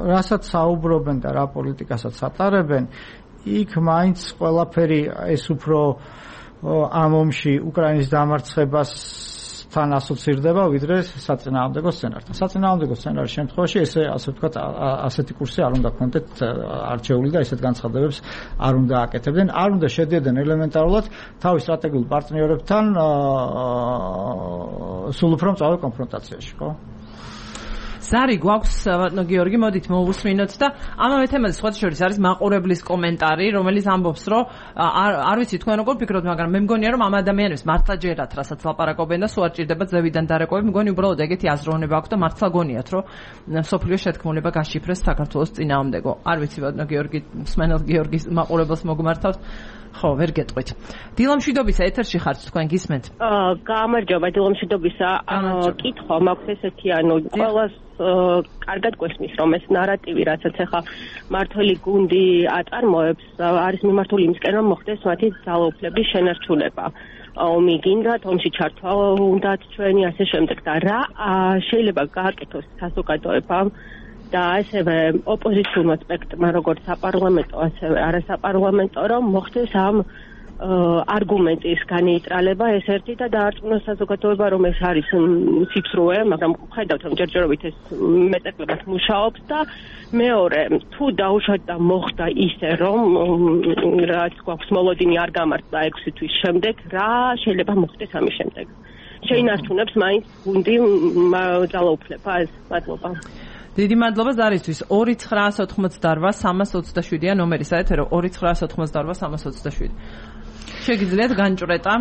რასაც საუბრობენ და რა პოლიტიკასაც ატარებენ, იქ მაინც ყველაფერი ეს უფრო ამ ომში უკრაინის დამარცხებას თან ასოცირდება ვიდრე საწინააღმდეგო სცენართან. საწინააღმდეგო სცენარის შემთხვევაში ესე ასე ვთქვათ ასეთი კურსი არ უნდა გქონდეთ არჩეული და ესეთ განცხადებებს არ უნდა აკეთებდნენ, არ უნდა შედიოდნენ ელემენტარულად თავის სტრატეგიულ პარტნიორებთან სულ უფრო მწვავე კონფრონტაციაში, ხო? ზარი გვაქვს გიორგი, მოდით მოვუსმინოთ და ამავე თემაზე სხვა შორის არის მაყურებლის კომენტარი, რომელიც ამბობს, რომ არ არ ვიცი თქვენ როგორ ფიქრობთ, მაგრამ მე მგონია რომ ამ ადამიანებს მართლა ჯერათ, რასაც ლაპარაკობენ და სულ არ ჭირდება ზევიდან დარეკოვები, მგონი უბრალოდ ეგეთი აზროვნება აქვს და მართლა გონიათ, რომ სოფლიო შეთქმულება გაშიფრეს საქართველოს წინააღმდეგო. არ ვიცი ბატონო გიორგი, მსმენელ გიორგის მაყურებელს მოგმართავთ. ხო, ვერ გეტყვით. დილამშვიდობისა ეთერში ხართ, თქვენ გისმენთ? აა, გამარჯობა, დილამშვიდობისა. კითხვა მაქვს ესეთი, ანუ ყველას კარგად გვესმის, რომ ეს ნარატივი, რასაც ახლა მართველი გუნდი აწარმოებს, არის მიმართული იმისკენ, რომ მოხდეს მათი ძალაუფლების შენარჩუნება. ომი გინდათ, ომში ჩართვა უნდათ ჩვენი ასე შემდეგ და რა შეიძლება გააკეთოს საზოგადოებამ და ასევე ოპოზიციურმა სპექტრმა, როგორც საპარლამენტო, ასევე არასაპარლამენტო, რომ მოხდეს ამ არგუმენტის განეიტრალება ეს ერთი და დაარწმუნა საზოგადოება რომ ეს არის სიფსრუე, მაგრამ ხედავთ რომ ჯერჯერობით ეს მეტაკლებად მუშაობს და მეორე თუ დაუშვათ და მოხდა ისე რომ რაც გვაქვს მოლოდინი არ გამართლა ექვსი თვის შემდეგ რა შეიძლება მოხდეს ამის შემდეგ შეინარჩუნებს მაინც გუნდი ძალაუფლებას მადლობა დიდი მადლობა ზარისთვის ორი ცხრაას ოთხმოცდაოთხ სამას ოცდაშვიდია ნომერი საეთერო ორი ცხრაას ოთხმოცდაოთხ სამას ოცდაშვიდი შეგიძლიათ განჭრეტა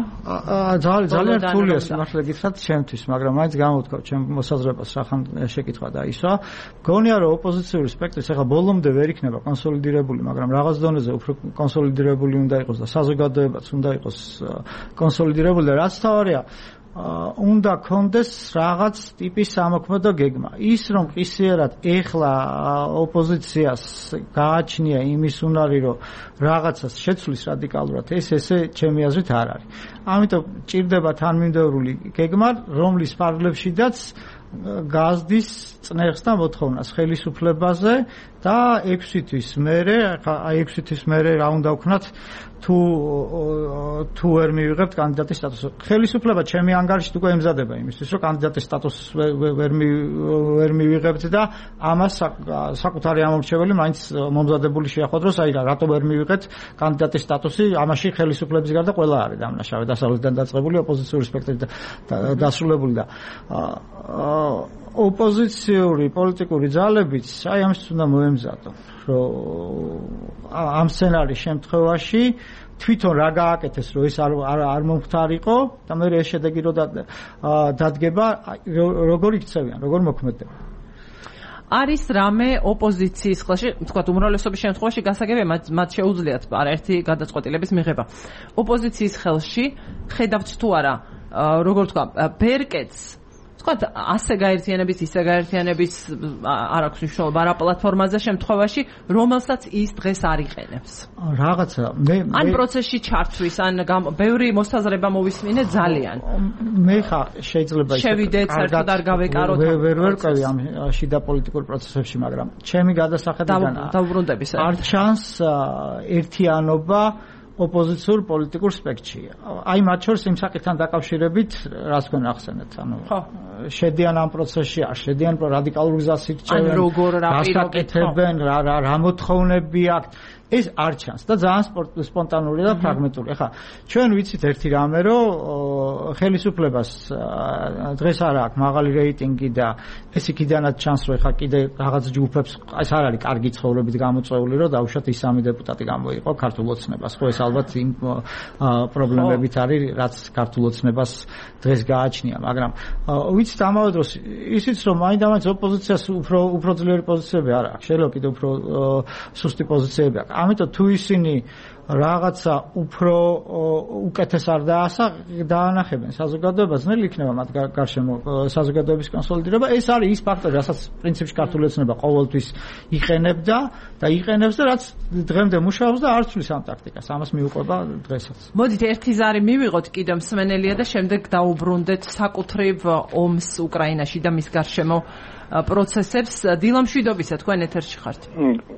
ძალიან ძალიან რთულია სიმართლე გითხრათ ჩემთვის მაგრამ მაინც გამოვთქვათ ჩემ მოსაზრებას რახან შეკითხვა და ისა გონია რომ ოპოზიციური სპექტრის ახლა ბოლომდე ვერ იქნება კონსოლიდირებული მაგრამ რაღაც დონეზე უფრო კონსოლიდირებული უნდა იყოს და საზოგადოებაც უნდა იყოს კონსოლიდირებული და რაც თავარია უნდა კონდეს რაღაც ტიპის სამოქმედო გეგმა. ის რომ ყისიერად ეხლა ოპოზიციას გააჩნია იმის უნარი, რომ რაღაცას შეცვლის რადიკალურად, ეს ესე ჩემი აზრით არ არის. ამიტომ ჭირდება თანმიმდევრული გეგმა, რომლის ფარგლებშიდაც გაზდის წნეხს და მოთხოვნას ხელისუფლებაზე და ექვსი თვის მერე, აი ექვსი თვის მერე რა უნდა ვქნათ თუ თუ ვერ მივიღებთ კანდიდატის სტატუსს. ხელისუფლება ჩემი ანგარიშით უკვე ემზადება იმისთვის, რომ კანდიდატის სტატუსს ვერ ვერ მივიღებთ და ამას საკუთარი ამორჩეველი მაინც მომზადებული შეახვედროს, აი რატო ვერ მივიღეთ კანდიდატის სტატუსი, ამაში ხელისუფლების გარდა ყველა არის დამნაშავე, დასავლეთიდან დაწყებული ოპოზიციური სპექტრი დასრულებული და ოპოზიციური პოლიტიკური ძალებიც აი ამის უნდა მოემზადონ, რომ ამ სცენარის შემთხვევაში თვითონ რა გააკეთეს, რომ ეს არ არ მომხდარიყო და მე ეს შედეგი რო დადგება, როგორ იქცევიან, როგორ მოქმედებენ. არის რამე ოპოზიციის ხელში, თქვათ უმრავლესობის შემთხვევაში გასაგებია, მათ შეუძლიათ არაერთი გადაწყვეტილების მიღება. ოპოზიციის ხელში ხედავთ თუ არა, როგორ თქვა, ბერკეტს თქვათ ასე გაერთიანების, ისე გაერთიანების არ აქვს მნიშვნელობა რა პლატფორმაზე შემთხვევაში, რომელსაც ის დღეს არ იყენებს. რაღაცა მე ან პროცესში ჩართვის, ან ბევრი მოსაზრება მოვისმინე ძალიან. მე ხა შეიძლება ისე შევიდეთ, საერთოდ არ გავეკაროთ. ვერ ვერ ვყავი ამ შიდა პოლიტიკურ პროცესებში, მაგრამ ჩემი გადასახედიდან დაუბრუნდების არ ჩანს ერთიანობა ოპოზიციურ პოლიტიკურ სპექტრში. აი მათ შორის იმ საკითხთან დაკავშირებით, რას თქვენ ახსენეთ, ანუ შედიან ამ პროცესში, არ შედიან რადიკალურ გზას ირჩევენ, ან როგორ რა პირაკეთებენ, რა რა რა მოთხოვნები აქვს. ეს არ ჩანს და ძალიან სპონტანური და ფრაგმენტული. ახლა ჩვენ ვიცით ერთი რამე, რომ ხელისუფლებას დღეს არ აქვს მაღალი რეიტინგი და ეს იქიდანაც ჩანს, რომ ახლა კიდე რაღაც ჯგუფებს ეს არ არის კარგი ცხოვრებით გამოწვეული, რომ დაუშვათ ის სამი დეპუტატი გამოიყო ქართულ ოცნებას. ხო ეს ალბათ იმ პრობლემებით არის, რაც ქართულ ოცნებას დღეს გააჩნია, მაგრამ ვიცით ამავე დროს ისიც რომ მაინდამაინც ოპოზიციას უფრო უფრო ძლიერი პოზიციები არ აქვს, შეიძლება კიდე უფრო სუსტი პოზიციები აქვს. ამიტომ თუ ისინი რაღაცა უფრო უკეთეს არ დაანახებენ საზოგადოებას, ნელი იქნება მათ გარშემო საზოგადოების კონსოლიდირება. ეს არის ის ფაქტორი, რასაც პრინციპში ქართული ოცნება ყოველთვის იყენებდა და იყენებს და რაც დღემდე მუშაობს და არ ცვლის ამ ტაქტიკას. ამას მიუყვება დღესაც. მოდით ერთი ზარი მივიღოთ კიდევ მსმენელია და შემდეგ დაუბრუნდეთ საკუთრივ ომს უკრაინაში და მის გარშემო პროცესებს. დილა მშვიდობისა, თქვენ ეთერში ხართ.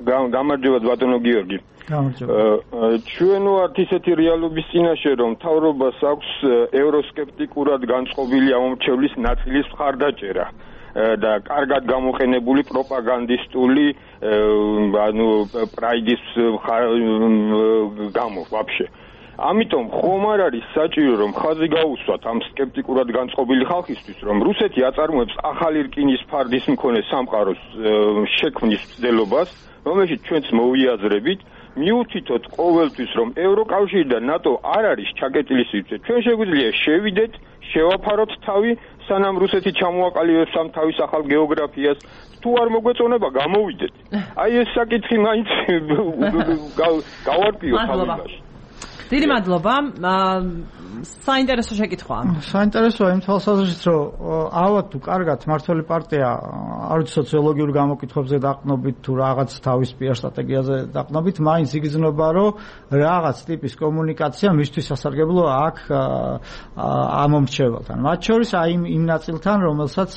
გამარჯობა ბატონო გიორგი. გამარჯობა. ჩვენ ვართ ისეთი რეალობის წინაშე, რომ მთავრობას აქვს ევროსკეპტიკურად განწყობილი ამომრჩევლის ნაწილის მხარდაჭერა და კარგად გამოყენებული პროპაგანდისტული ანუ პრაიდის გამო ვაფშე. ამიტომ ხომ არ არის საჭირო რომ ხაზი გაუსვათ ამ სკეპტიკურად განწყობილი ხალხისთვის, რომ რუსეთი აწარმოებს ახალი რკინის ფარდის მქონე სამყაროს შექმნის მცდელობას, რომელშიც ჩვენც მოვიაზრებით, მიუთითოთ ყოველთვის, რომ ევროკავშირი და ნატო არ არის ჩაკეტილი სივრცე. ჩვენ შეგვიძლია შევიდეთ, შევაფაროთ თავი, სანამ რუსეთი ჩამოაყალიბებს ამ თავის ახალ გეოგრაფიას. თუ არ მოგვეწონება, გამოვიდეთ. აი ეს საკითხი მაინც გავარკვიოთ თავიდანვე. დიდი მადლობა. საინტერესო შეკითხვაა. საინტერესოა იმ თვალსაზრისით, რომ ალბათ თუ კარგად მართველი პარტია არ ვიცი სოციოლოგიურ გამოკითხვებზე დაყნობით თუ რაღაც თავის პიარ სტრატეგიაზე დაყნობით, მაინც იგრძნობა, რომ რაღაც ტიპის კომუნიკაცია მისთვის სასარგებლო აქვს ამომრჩეველთან. მათ შორის აი იმ ნაწილთან, რომელსაც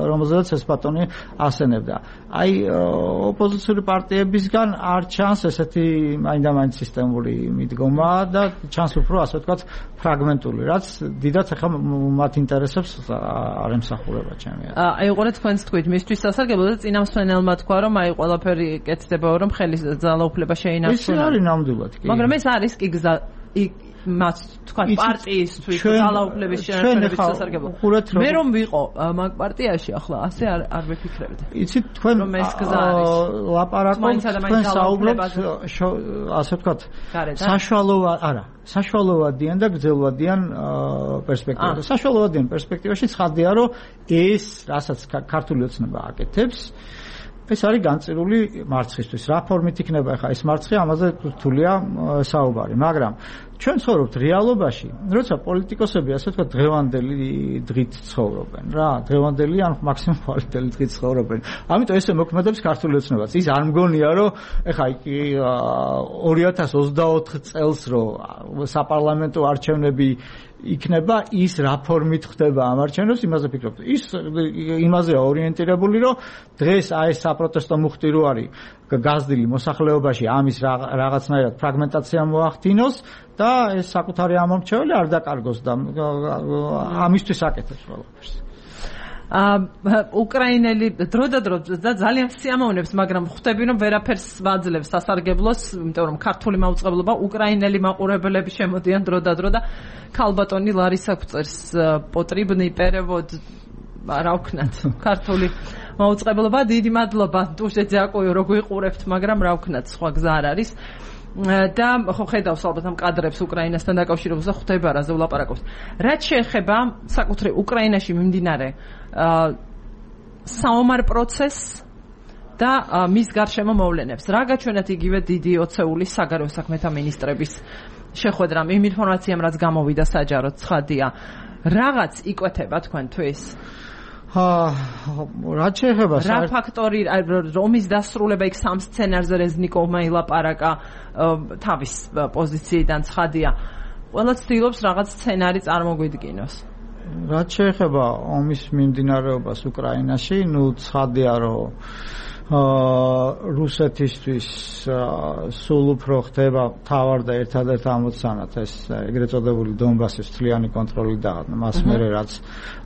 რომელზედაც ეს ბატონი ასენებდა. აი ოპოზიციური პარტიებისგან არ ჩანს ესეთი მაინდა-მაინც სისტემური მიდგომა მდგომა და ჩანს უფრო ასე ვთქვათ ფრაგმენტული, რაც დიდად ახლა მათ ინტერესებს არ ემსახურება ჩემი აზრით. აი უყურეთ თქვენს თქვით, მისთვის სასარგებლო და წინამსვენელმა თქვა, რომ აი ყველაფერი კეთდება, რომ ხელის ძალაუფლება შეინარჩუნა. ის არის ნამდვილად კი. მაგრამ ეს არის კი გზა მას თქვა პარტიისთვის ძალაუფლების შენარჩუნების სასარგებლო. მე რომ ვიყო მაგ პარტიაში ახლა ასე არ არ ვიფიქრებდი. იცით თქვენ ლაპარაკობთ თქვენ საუბრობთ ასე ვთქვათ საშუალოა არა საშუალოვადიან და გრძელვადიან პერსპექტივაში. საშუალოვადიან პერსპექტივაში ცხადია რომ ეს რასაც ქართული ოცნება აკეთებს ეს არის განწირული მარცხისთვის. რა ფორმით იქნება ახლა ეს მარცხი, ამაზე რთულია საუბარი, მაგრამ ჩვენ ცხოვრობთ რეალობაში, როცა პოლიტიკოსები ასე ვთქვათ დღევანდელი დღით ცხოვრობენ რა, დღევანდელი ან მაქსიმუმ პოლიტიკელი დღით ცხოვრობენ. ამიტომ ესე მოქმედებს ქართული ოცნებაც. ის არ მგონია რომ ახლა ორი ათას ოცდაოთხ წელს რომ საპარლამენტო არჩევნები იქნება ის რა ფორმით ხდება ამ არჩევნებს იმაზე ფიქრობთ. ის იმაზეა ორიენტირებული რომ დღეს აი ეს საპროტესტო მუხტი რო არის გაზრდილი მოსახლეობაში ამის რაღაცნაირად ფრაგმენტაცია მოახდინოს და ეს საკუთარი ამომრჩეველი არ დაკარგოს და ამისთვის აკეთებს ყველაფერს. უკრაინელი დრო და დრო და ძალიან სიამოვნებს, მაგრამ ხვდები რომ ვერაფერს ვაძლევს სასარგებლოს, იმიტომ რომ ქართული მაუწყებლობა უკრაინელი მაყურებლები შემოდიან დრო და დრო და ქალბატონი ლარისა გვწერს პოტრიბნი პერევოდ რა ვქნათ ქართული მაუწყებლობა დიდი მადლობა დუშე ძაკოიო რო გვიყურებთ, მაგრამ რა ვქნათ სხვა გზა არ არის. და ხო ხედავს ალბათ ამ კადრებს უკრაინასთან დაკავშირებულს და ხვდება რაზე ვლაპარაკობს. რაც შეეხება საკუთრივ უკრაინაში მიმდინარე საომარ პროცესს და მის გარშემო მოვლენებს. რა გაჩვენათ იგივე დიდი ოცეული საგარეო საქმეთა მინისტრების შეხვედრამ იმ ინფორმაციამ, რაც გამოვიდა საჯაროდ, ცხადია. რაღაც იკვეთება თქვენთვის? რა შეეხება რა ფაქტორი რომის დასრულება იქ სამ სცენარზე რეზნიკოვმა ილაპარაკა თავის პოზიციიდან ცხადია. ყველა ცდილობს რაღაც სცენარი წარმოგვიდგინოს. რა შეეხება ომის მიმდინარეობას უკრაინაში, ნუ ცხადია რომ რუსეთისთვის სულ უფრო ხდება თავარ და ერთადერთ ამოცანად ეს ეგრეთ წოდებული დონბასის მთლიანი კონტროლი და მას მერე რაც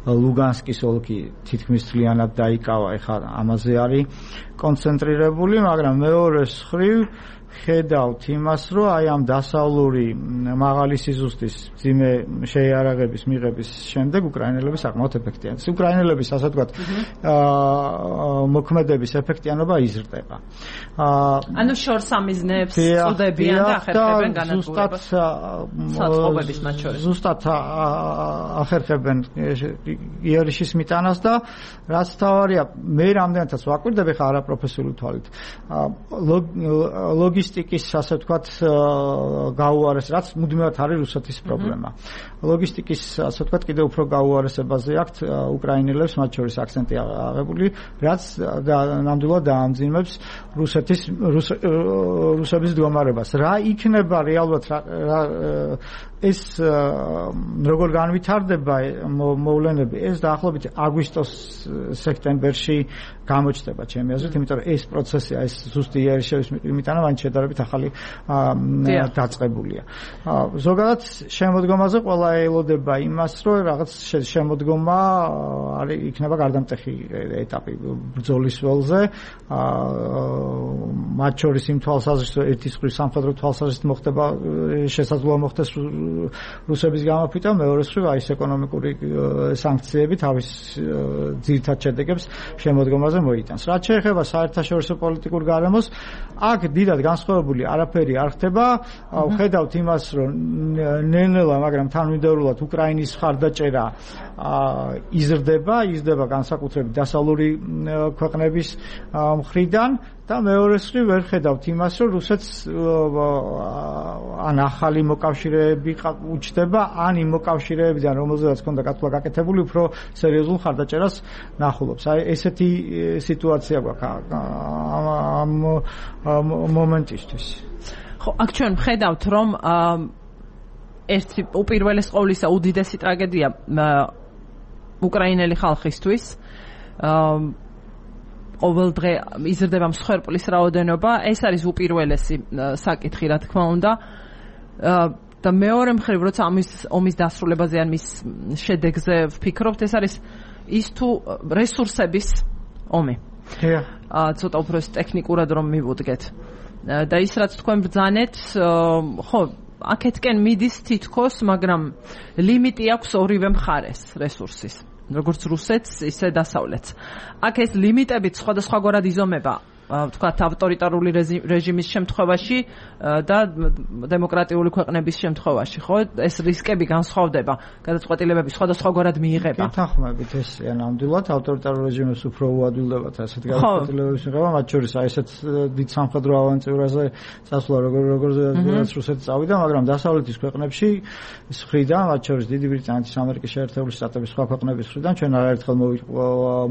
ლუგანსკის ოლქი თითქმის მთლიანად დაიკავა, ეხლა ამაზე არის კონცენტრირებული, მაგრამ მეორე მხრივ ხედავთ იმას, რომ აი ამ დასავლური მაღალი სიზუსტის ძიმე შეიარაღების მიღების შემდეგ უკრაინელები საკმაოდ ეფექტიანია. უკრაინელების ასე ვთქვათ მოქმედების ეფექტიანობა იზრდება. ანუ შორს ამიზნებს წუდებიან და ახერხებენ განადგურებას საწყობების მათ შორის. ზუსტად ახერხებენ იერიშის მიტანას და რაც თავარია, მე რამდენადაც ვაკვირდები ხა არაპროფესიული თვალით. ლოგისტიკის ასე ვთქვათ გაუარეს, რაც მუდმივად არის რუსეთის პრობლემა. ლოგისტიკის ასე ვთქვათ კიდევ უფრო გაუარესებაზე აქვთ უკრაინელებს, მათ შორის აქცენტი აღებული, რაც ნამდვილად დაამძიმებს რუსეთის რუსების მდგომარებას. რა იქნება რეალურად ეს როგორ განვითარდება მოვლენები, ეს დაახლოებით აგვისტოს სექტემბერში გამოჩნდება ჩემი აზრით, იმიტომ რომ ეს პროცესია, ეს ზუსტი იერიშევის მიტანა მან შედარებით ახალი დაწყებულია. ზოგადად შემოდგომაზე ყველა ელოდება იმას, რომ რაღაც შემოდგომა არის იქნება გარდამტეხი ეტაპი ბრძოლის ველზე, მათ შორის იმ თვალსაზრისით, რომ ერთის მხრივ სამხედრო თვალსაზრისით მოხდება შესაძლოა მოხდეს რუსების გამოფიტვა, მეორე მხრივ აი ეს ეკონომიკური სანქციები თავის ძირითად შედეგებს შემოდგომაზე მოიტანს. რაც შეეხება საერთაშორისო პოლიტიკურ გარემოს, აქ დიდად განსხვავებული არაფერი არ ხდება. ხედავთ იმას, რომ ნელ-ნელა, მაგრამ თანმიმდევრულად უკრაინის მხარდაჭერა იზრდება, იზრდება განსაკუთრებით დასავლური ქვეყნების მხრიდან და მეორე მხრივ ვერ ხედავთ იმას, რომ რუსეთს ან ახალი მოკავშირეები უჩნდება, ან იმ მოკავშირეებიდან, რომელზედაც ჰქონდა გათვლა გაკეთებული, უფრო სერიოზულ მხარდაჭერას ნახულობს. აი ესეთი სიტუაცია გვაქვს ამ მომენტისთვის. ხო, აქ ჩვენ ხედავთ, რომ ერთი უპირველეს ყოვლისა უდიდესი ტრაგედია უკრაინელი ხალხისთვის ყოველ დღე იზრდება მსხვერპლის რაოდენობა, ეს არის უპირველესი საკითხი, რა თქმა უნდა. და მეორე მხრივ, როცა ამის ომის დასრულებაზე ან მის შედეგზე ვფიქრობთ, ეს არის ის თუ რესურსების ომი. აა ცოტა უფრო ტექნიკურად რომ მივუდგეთ. და ის რაც თქვენ ბრძანეთ, ხო, აქეთკენ მიდის თითქოს, მაგრამ ლიმიტი აქვს ორივე მხარეს რესურსის. როგორც რუსეთს, ისე დასავლეთს. აქ ეს ლიმიტებით სხვადასხვაგვარად იზომება. ვთქვათ, ავტორიტარული რეჟიმის შემთხვევაში და დემოკრატიული ქვეყნების შემთხვევაში, ხო? ეს რისკები განსხვავდება, გადაწყვეტილებები სხვადასხვაგვარად მიიღება. გითანხმებით ესეა ნამდვილად, ავტორიტარულ რეჟიმებს უფრო უადვილდებათ ასეთ გადაწყვეტილებების მიღება, მათ შორის აი ესეთ დიდ სამხედრო ავანტიურაზე წასვლა, როგორ როგორც რუსეთი წავიდა, მაგრამ დასავლეთის ქვეყნებში ის ხრიდან, მათ შორის დიდი ბრიტანეთის, ამერიკის შეერთებული შტატების სხვა ქვეყნების ხრიდან ჩვენ არაერთხელ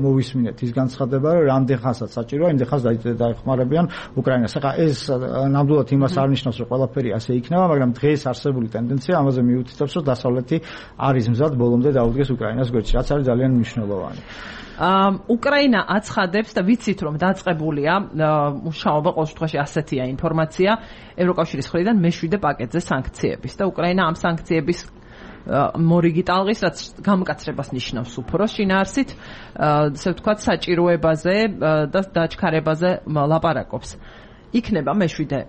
მოვისმინეთ ის განცხადება, რომ რამდენ ხანსაც საჭიროა, იმდენ ხანს დაეხმარებიან უკრაინას. ახლა ეს ნამდვილად იმას არ ნიშნავს, რომ ყველაფერი ასე იქნება, მაგრამ დღეს არსებული ტენდენცია ამაზე მიუთითებს, რომ დასავლეთი არის მზად ბოლომდე დაუდგეს უკრაინას გვერდში, რაც არის ძალიან მნიშვნელოვანი. უკრაინა აცხადებს და ვიცით, რომ დაწყებულია მუშაობა, ყოველ შემთხვევაში ასეთია ინფორმაცია, ევროკავშირის მხრიდან მეშვიდე პაკეტზე სანქციების და უკრაინა ამ სანქციების მორიგი ტალღის, რაც გამკაცრებას ნიშნავს უფრო შინაარსით, ასე ვთქვათ, საჭიროებაზე და დაჩქარებაზე ლაპარაკობს. იქნება მეშვიდე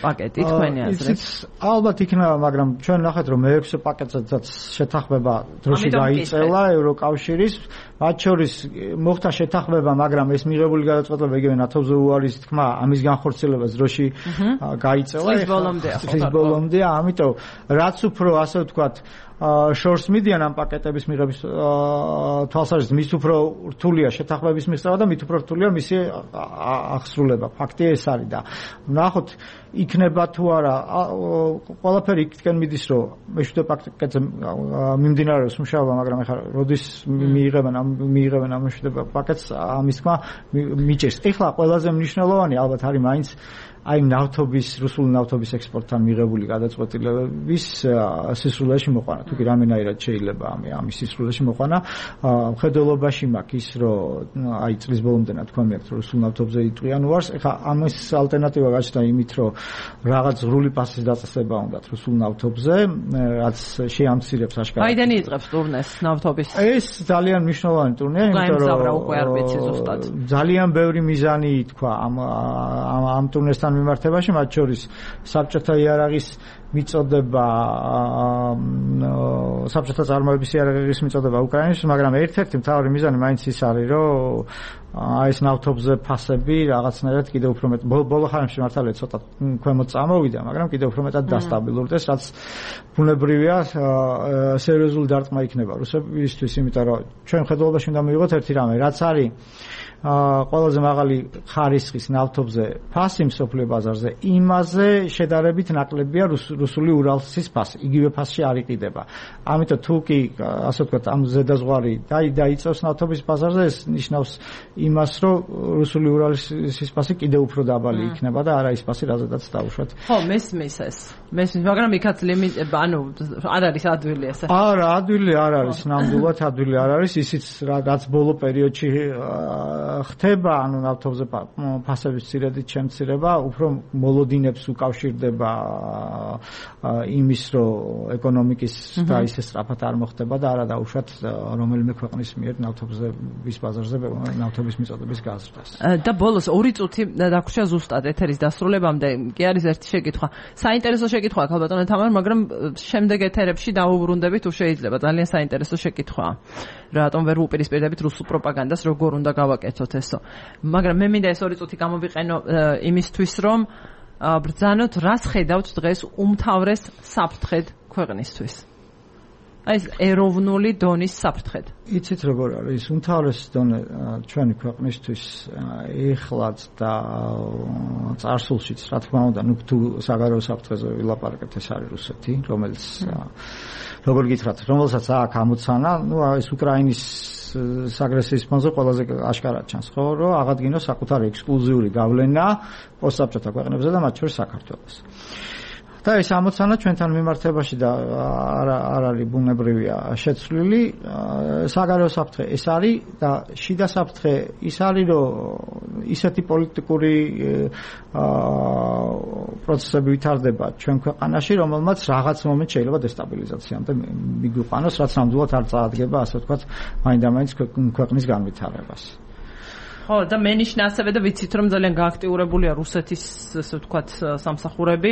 პაკეტი თქვენი აზრით? ალბათ იქნება, მაგრამ ჩვენ ნახეთ, რომ მეექვსე პაკეტზეც შეთანხმება დროში გაიწელა ევროკავშირის, მათ შორის მოხდა შეთანხმება, მაგრამ ეს მიღებული გადაწყვეტილება იგივე ნატოზე უარის თქმა, ამის განხორციელებას დროში გაიწელა. წლის ბოლომდეა. წლის ბოლომდეა, ამიტომ რაც უფრო ასე ვთქვათ შორს მიდიან ამ პაკეტების მიღების თვალსაზრისით, მის უფრო რთულია შეთანხმების მიღწევა და მით უფრო რთულია მისი აღსრულება. ფაქტია ეს არის და ნახოთ იქნება თუ არა, ყველაფერი იქიდან მიდის, რომ მეშვიდე პაკეტზე მიმდინარეობს მუშაობა, მაგრამ ეხლა როდის მიიღებენ ამ მიიღებენ ამ მეშვიდე პაკეტს, ამის თქმა მიჭერს. ეხლა ყველაზე მნიშვნელოვანი ალბათ არის მაინც აი ნავთობის, რუსული ნავთობის ექსპორტთან მიღებული გადაწყვეტილებების სისრულეში მოყვანა. თუ კი რამენაირად შეიძლება ამის სისრულეში მოყვანა, მხედველობაში მაქვს ის, რომ აი წლის ბოლომდე თქვა მე რუსულ ნავთობზე იტყვიან უარს. ეხლა ამის ალტერნატივა გაჩნდა იმით, რომ რაღაც ღრული პასის დაწესება უნდათ რუსულ ნავთობზე, რაც შეამცირებს აშკარად. ბაიდენი იწყებს ტურნეს ნავთობის. ეს ძალიან მნიშვნელოვანი ტურნეა, იმიტომ რომ ძალიან ბევრი მიზანი თქვა ამ ამ ტურნესთან მიმართებაში, მათ შორის საბჭოთა იარაღის მიწოდება, საბჭოთა წარმოების იარაღის მიწოდება უკრაინაში, მაგრამ ერთ-ერთი მთავარი მიზანი მაინც ის არის, რომ აი ეს ნავთობზე ფასები რაღაცნაირად კიდევ უფრო მეტ ბოლო ხანებში მართალია ცოტა ქვემოთ წამოვიდა, მაგრამ კიდევ უფრო მეტად დასტაბილურდეს, რაც ბუნებრივია, სერიოზული დარტყმა იქნება რუსებისთვის, იმიტომ რომ ჩვენ ხედველობაში უნდა მივიღოთ ერთი რამე, რაც არის ყველაზე მაღალი ხარისხის ნავთობზე ფასი მსოფლიო ბაზარზე, იმაზე შედარებით ნაკლებია რუსული ურალსის ფასი. იგივე ფასში არ იყიდება. ამიტომ თუ კი ასე ვთქვათ, ამ ზედაზღვარი დაიწევს ნავთობის ბაზარზე, ეს ნიშნავს იმას, რომ რუსული ურალსის ფასი კიდევ უფრო დაბალი იქნება და არა ის ფასი, რაზედაც დაუშვათ. ხო, მესმის ეს. მესმის, მაგრამ იქაც ლიმიტ, ანუ არ არის ადვილი ესე. არა, ადვილი არ არის, ნამდვილად ადვილი არ არის, ისიც რაც ბოლო პერიოდში ხდება, ანუ ნავთობზე ფასების ცირედით შემცირება, უფრო მოლოდინებს უკავშირდება იმის, რომ ეკონომიკის და ისე სწრაფად არ მოხდება და არა დაუშვათ რომელიმე ქვეყნის მიერ ნავთობის ბაზარზე ნავთობის მიწოდების გაზრდას. და ბოლოს ორი წუთი დაგვრჩა ზუსტად ეთერის დასრულებამდე, კი არის ერთი შეკითხვა. საინტერესო შეკითხვაა ქალბატონო თამარ, მაგრამ შემდეგ ეთერებში დავუბრუნდებით თუ შეიძლება. ძალიან საინტერესო შეკითხვაა. რატომ ვერ უპირისპირდებით რუსულ პროპაგანდას, როგორ უნდა გავაკეთოთ ესო. მაგრამ მე მინდა ეს ორი წუთი გამოვიყენო იმისთვის, რომ ბრძანოთ, რას ხედავთ დღეს უმთავრეს საფრთხედ ქვეყნისთვის. აი ეს ეროვნული დონის საფრთხედ. იცით როგორ არის, უმთავრეს დონე ჩვენი ქვეყნისთვის ეხლაც და წარსულშიც, რა თქმა უნდა, ნუ თუ საგარეო საფრთხეზე ვილაპარაკებთ, ეს არის რუსეთი, რომელიც როგორ გითხრათ, რომელსაც აქ ამოცანა, ნუ ეს უკრაინის აგრესიის ფონზე ყველაზე აშკარად ჩანს, ხო, რომ აღადგინოს საკუთარი ექსკლუზიური გავლენა პოსტსაბჭოთა ქვეყნებზე და მათ შორის საქართველოს. და ეს ამოცანა ჩვენთან მიმართებაში და არ არ არის ბუნებრივია შეცვლილი. საგარეო საფრთხე ეს არის და შიდა საფრთხე ის არის, რომ ისეთი პოლიტიკური პროცესები ვითარდება ჩვენ ქვეყანაში, რომელმაც რაღაც მომენტ შეიძლება დესტაბილიზაციამდე მიგვიყვანოს, რაც ნამდვილად არ წაადგება, ასე ვთქვათ, მაინდა-მაინც ქვეყნის განვითარებას. ხო, და მენიშნა ასევე და ვიცით, რომ ძალიან გააქტიურებულია რუსეთის, ასე ვთქვათ, სამსახურები.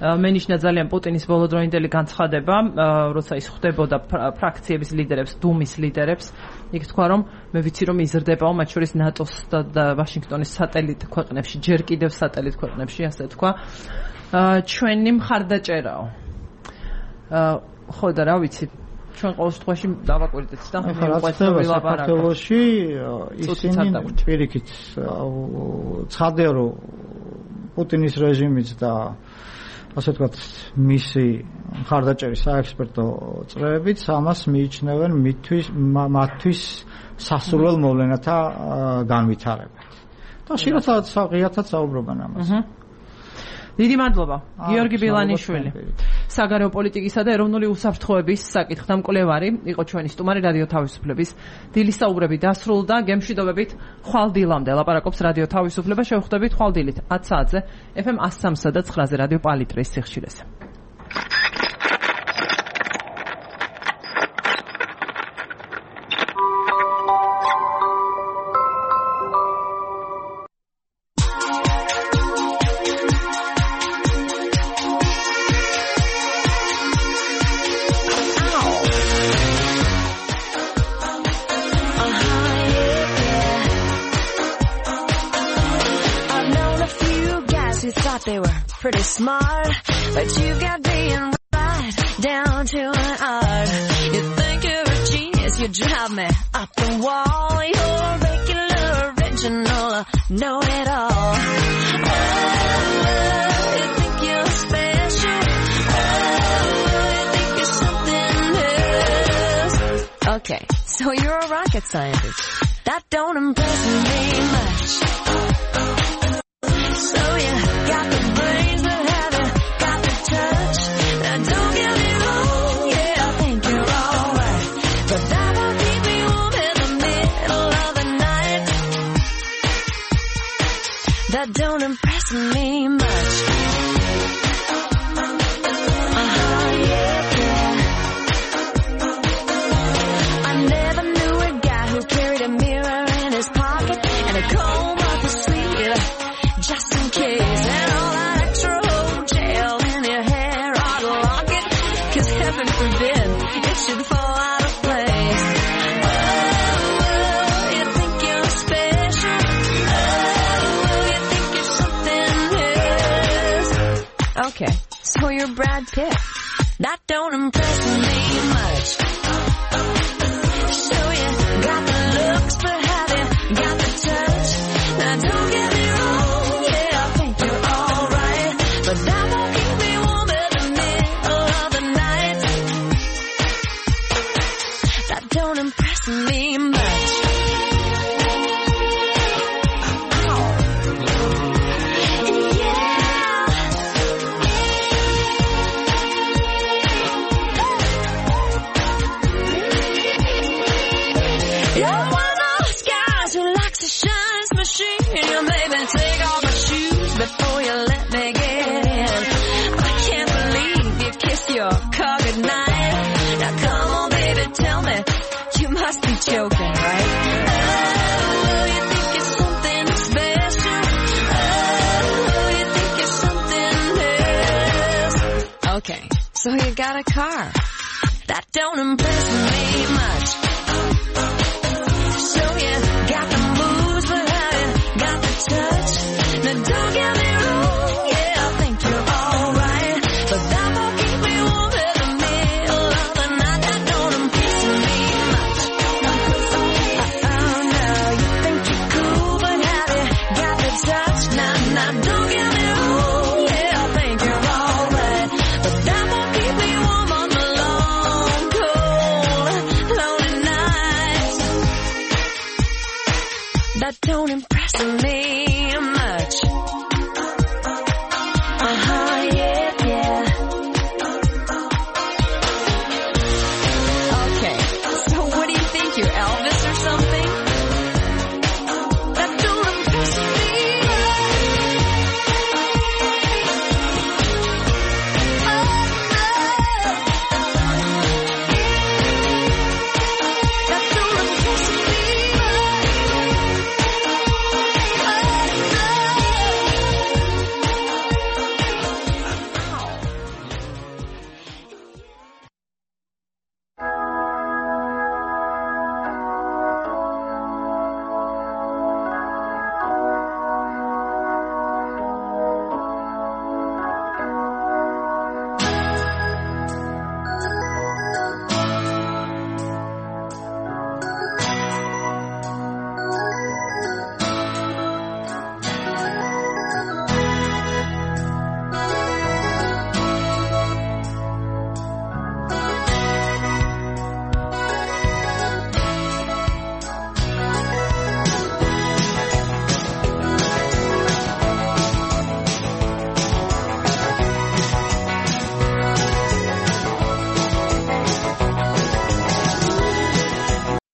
მენიშნა ძალიან პუტინის ბოლოდროინდელი განცხადება, როცა ის ხვდებოდა ფრაქციების ლიდერებს, დუმის ლიდერებს, იქ თქვა, რომ მე ვიცი, რომ იზრდებაო, მათ შორის ნატოს და ვაშინგტონის სატელიტ ქვეყნებში, ჯერ კიდევ სატელიტ ქვეყნებში, ასე თქვა. ჩვენი მხარდაჭერაო. ხო და რა ვიცი, ჩვენ ყოველ შემთხვევაში დავაკვირდეთ და მოყვება საქართველოში ისინი პირიქით ცხადია, რომ პუტინის რეჟიმიც და ასე ვთქვათ მისი მხარდაჭერის საექსპერტო წრეებიც ამას მიიჩნევენ მისთვის მათთვის სასურველ მოვლენათა განვითარებად. და შეიძლება ღიათაც საუბრობენ ამაზე. დიდი მადლობა, გიორგი ბილანიშვილი. საგარეო პოლიტიკისა და ეროვნული უსაფრთხოების საკითხთა მკვლევარი იყო ჩვენი სტუმარი რადიო თავისუფლების. დილის საუბრები დასრულდა, გემშვიდობებით ხვალ დილამდე ლაპარაკობს რადიო თავისუფლება. შევხვდებით ხვალ დილით ათ საათზე ეფ ემ one oh three და nine-ზე რადიო პალიტრის სიხშირეზე. They were pretty smart, but you got being right down to an art. You think you're a genius, you drive me up the wall. You're regular, original, know it all. Oh, you think you're special. Oh, you think you're something else. Okay, so you're a rocket scientist. That don't impress me much. So you got the brains, but have you got the touch? Now don't get me wrong, yeah, I think you're alright, but that won't keep me warm in the middle of the night. That don't impress me much. Uh-huh, yeah, yeah. I never knew a guy who carried a mirror in his pocket and a comb up his sleeve, just in case, and all that extra hotel in your hair ought to lock it, cause heaven forbid it should fall out of place. Oh, you think you're special. Oh, you think you're something else. Okay, so you're Brad Pitt. That don't impress me much. So you got the looks, but have you got the touch? Now don't get me wrong, but that won't keep me warm in the middle of the night. That don't impress me much. Oh. Yeah. You're one of those guys who likes to shine his machine. You maybe take off my shoes before you let me get in. I can't believe you kissed your car goodnight. Now come on, baby, tell me, you must be joking, right? Oh, you think you're something special. Oh, you think you're something else. Okay, so you got a car. That don't impress me much. So you got the moves, but have you got the touch? Now don't get me wrong, yeah, I think you're alright, but that won't keep me warm in the middle of the night. That don't impress me much. Oh no, you think you're cool, but have you got the touch? Now, now don't get me wrong, yeah, I think you're alright, but that won't keep me warm on the long, cold, lonely nights. That don't impress me.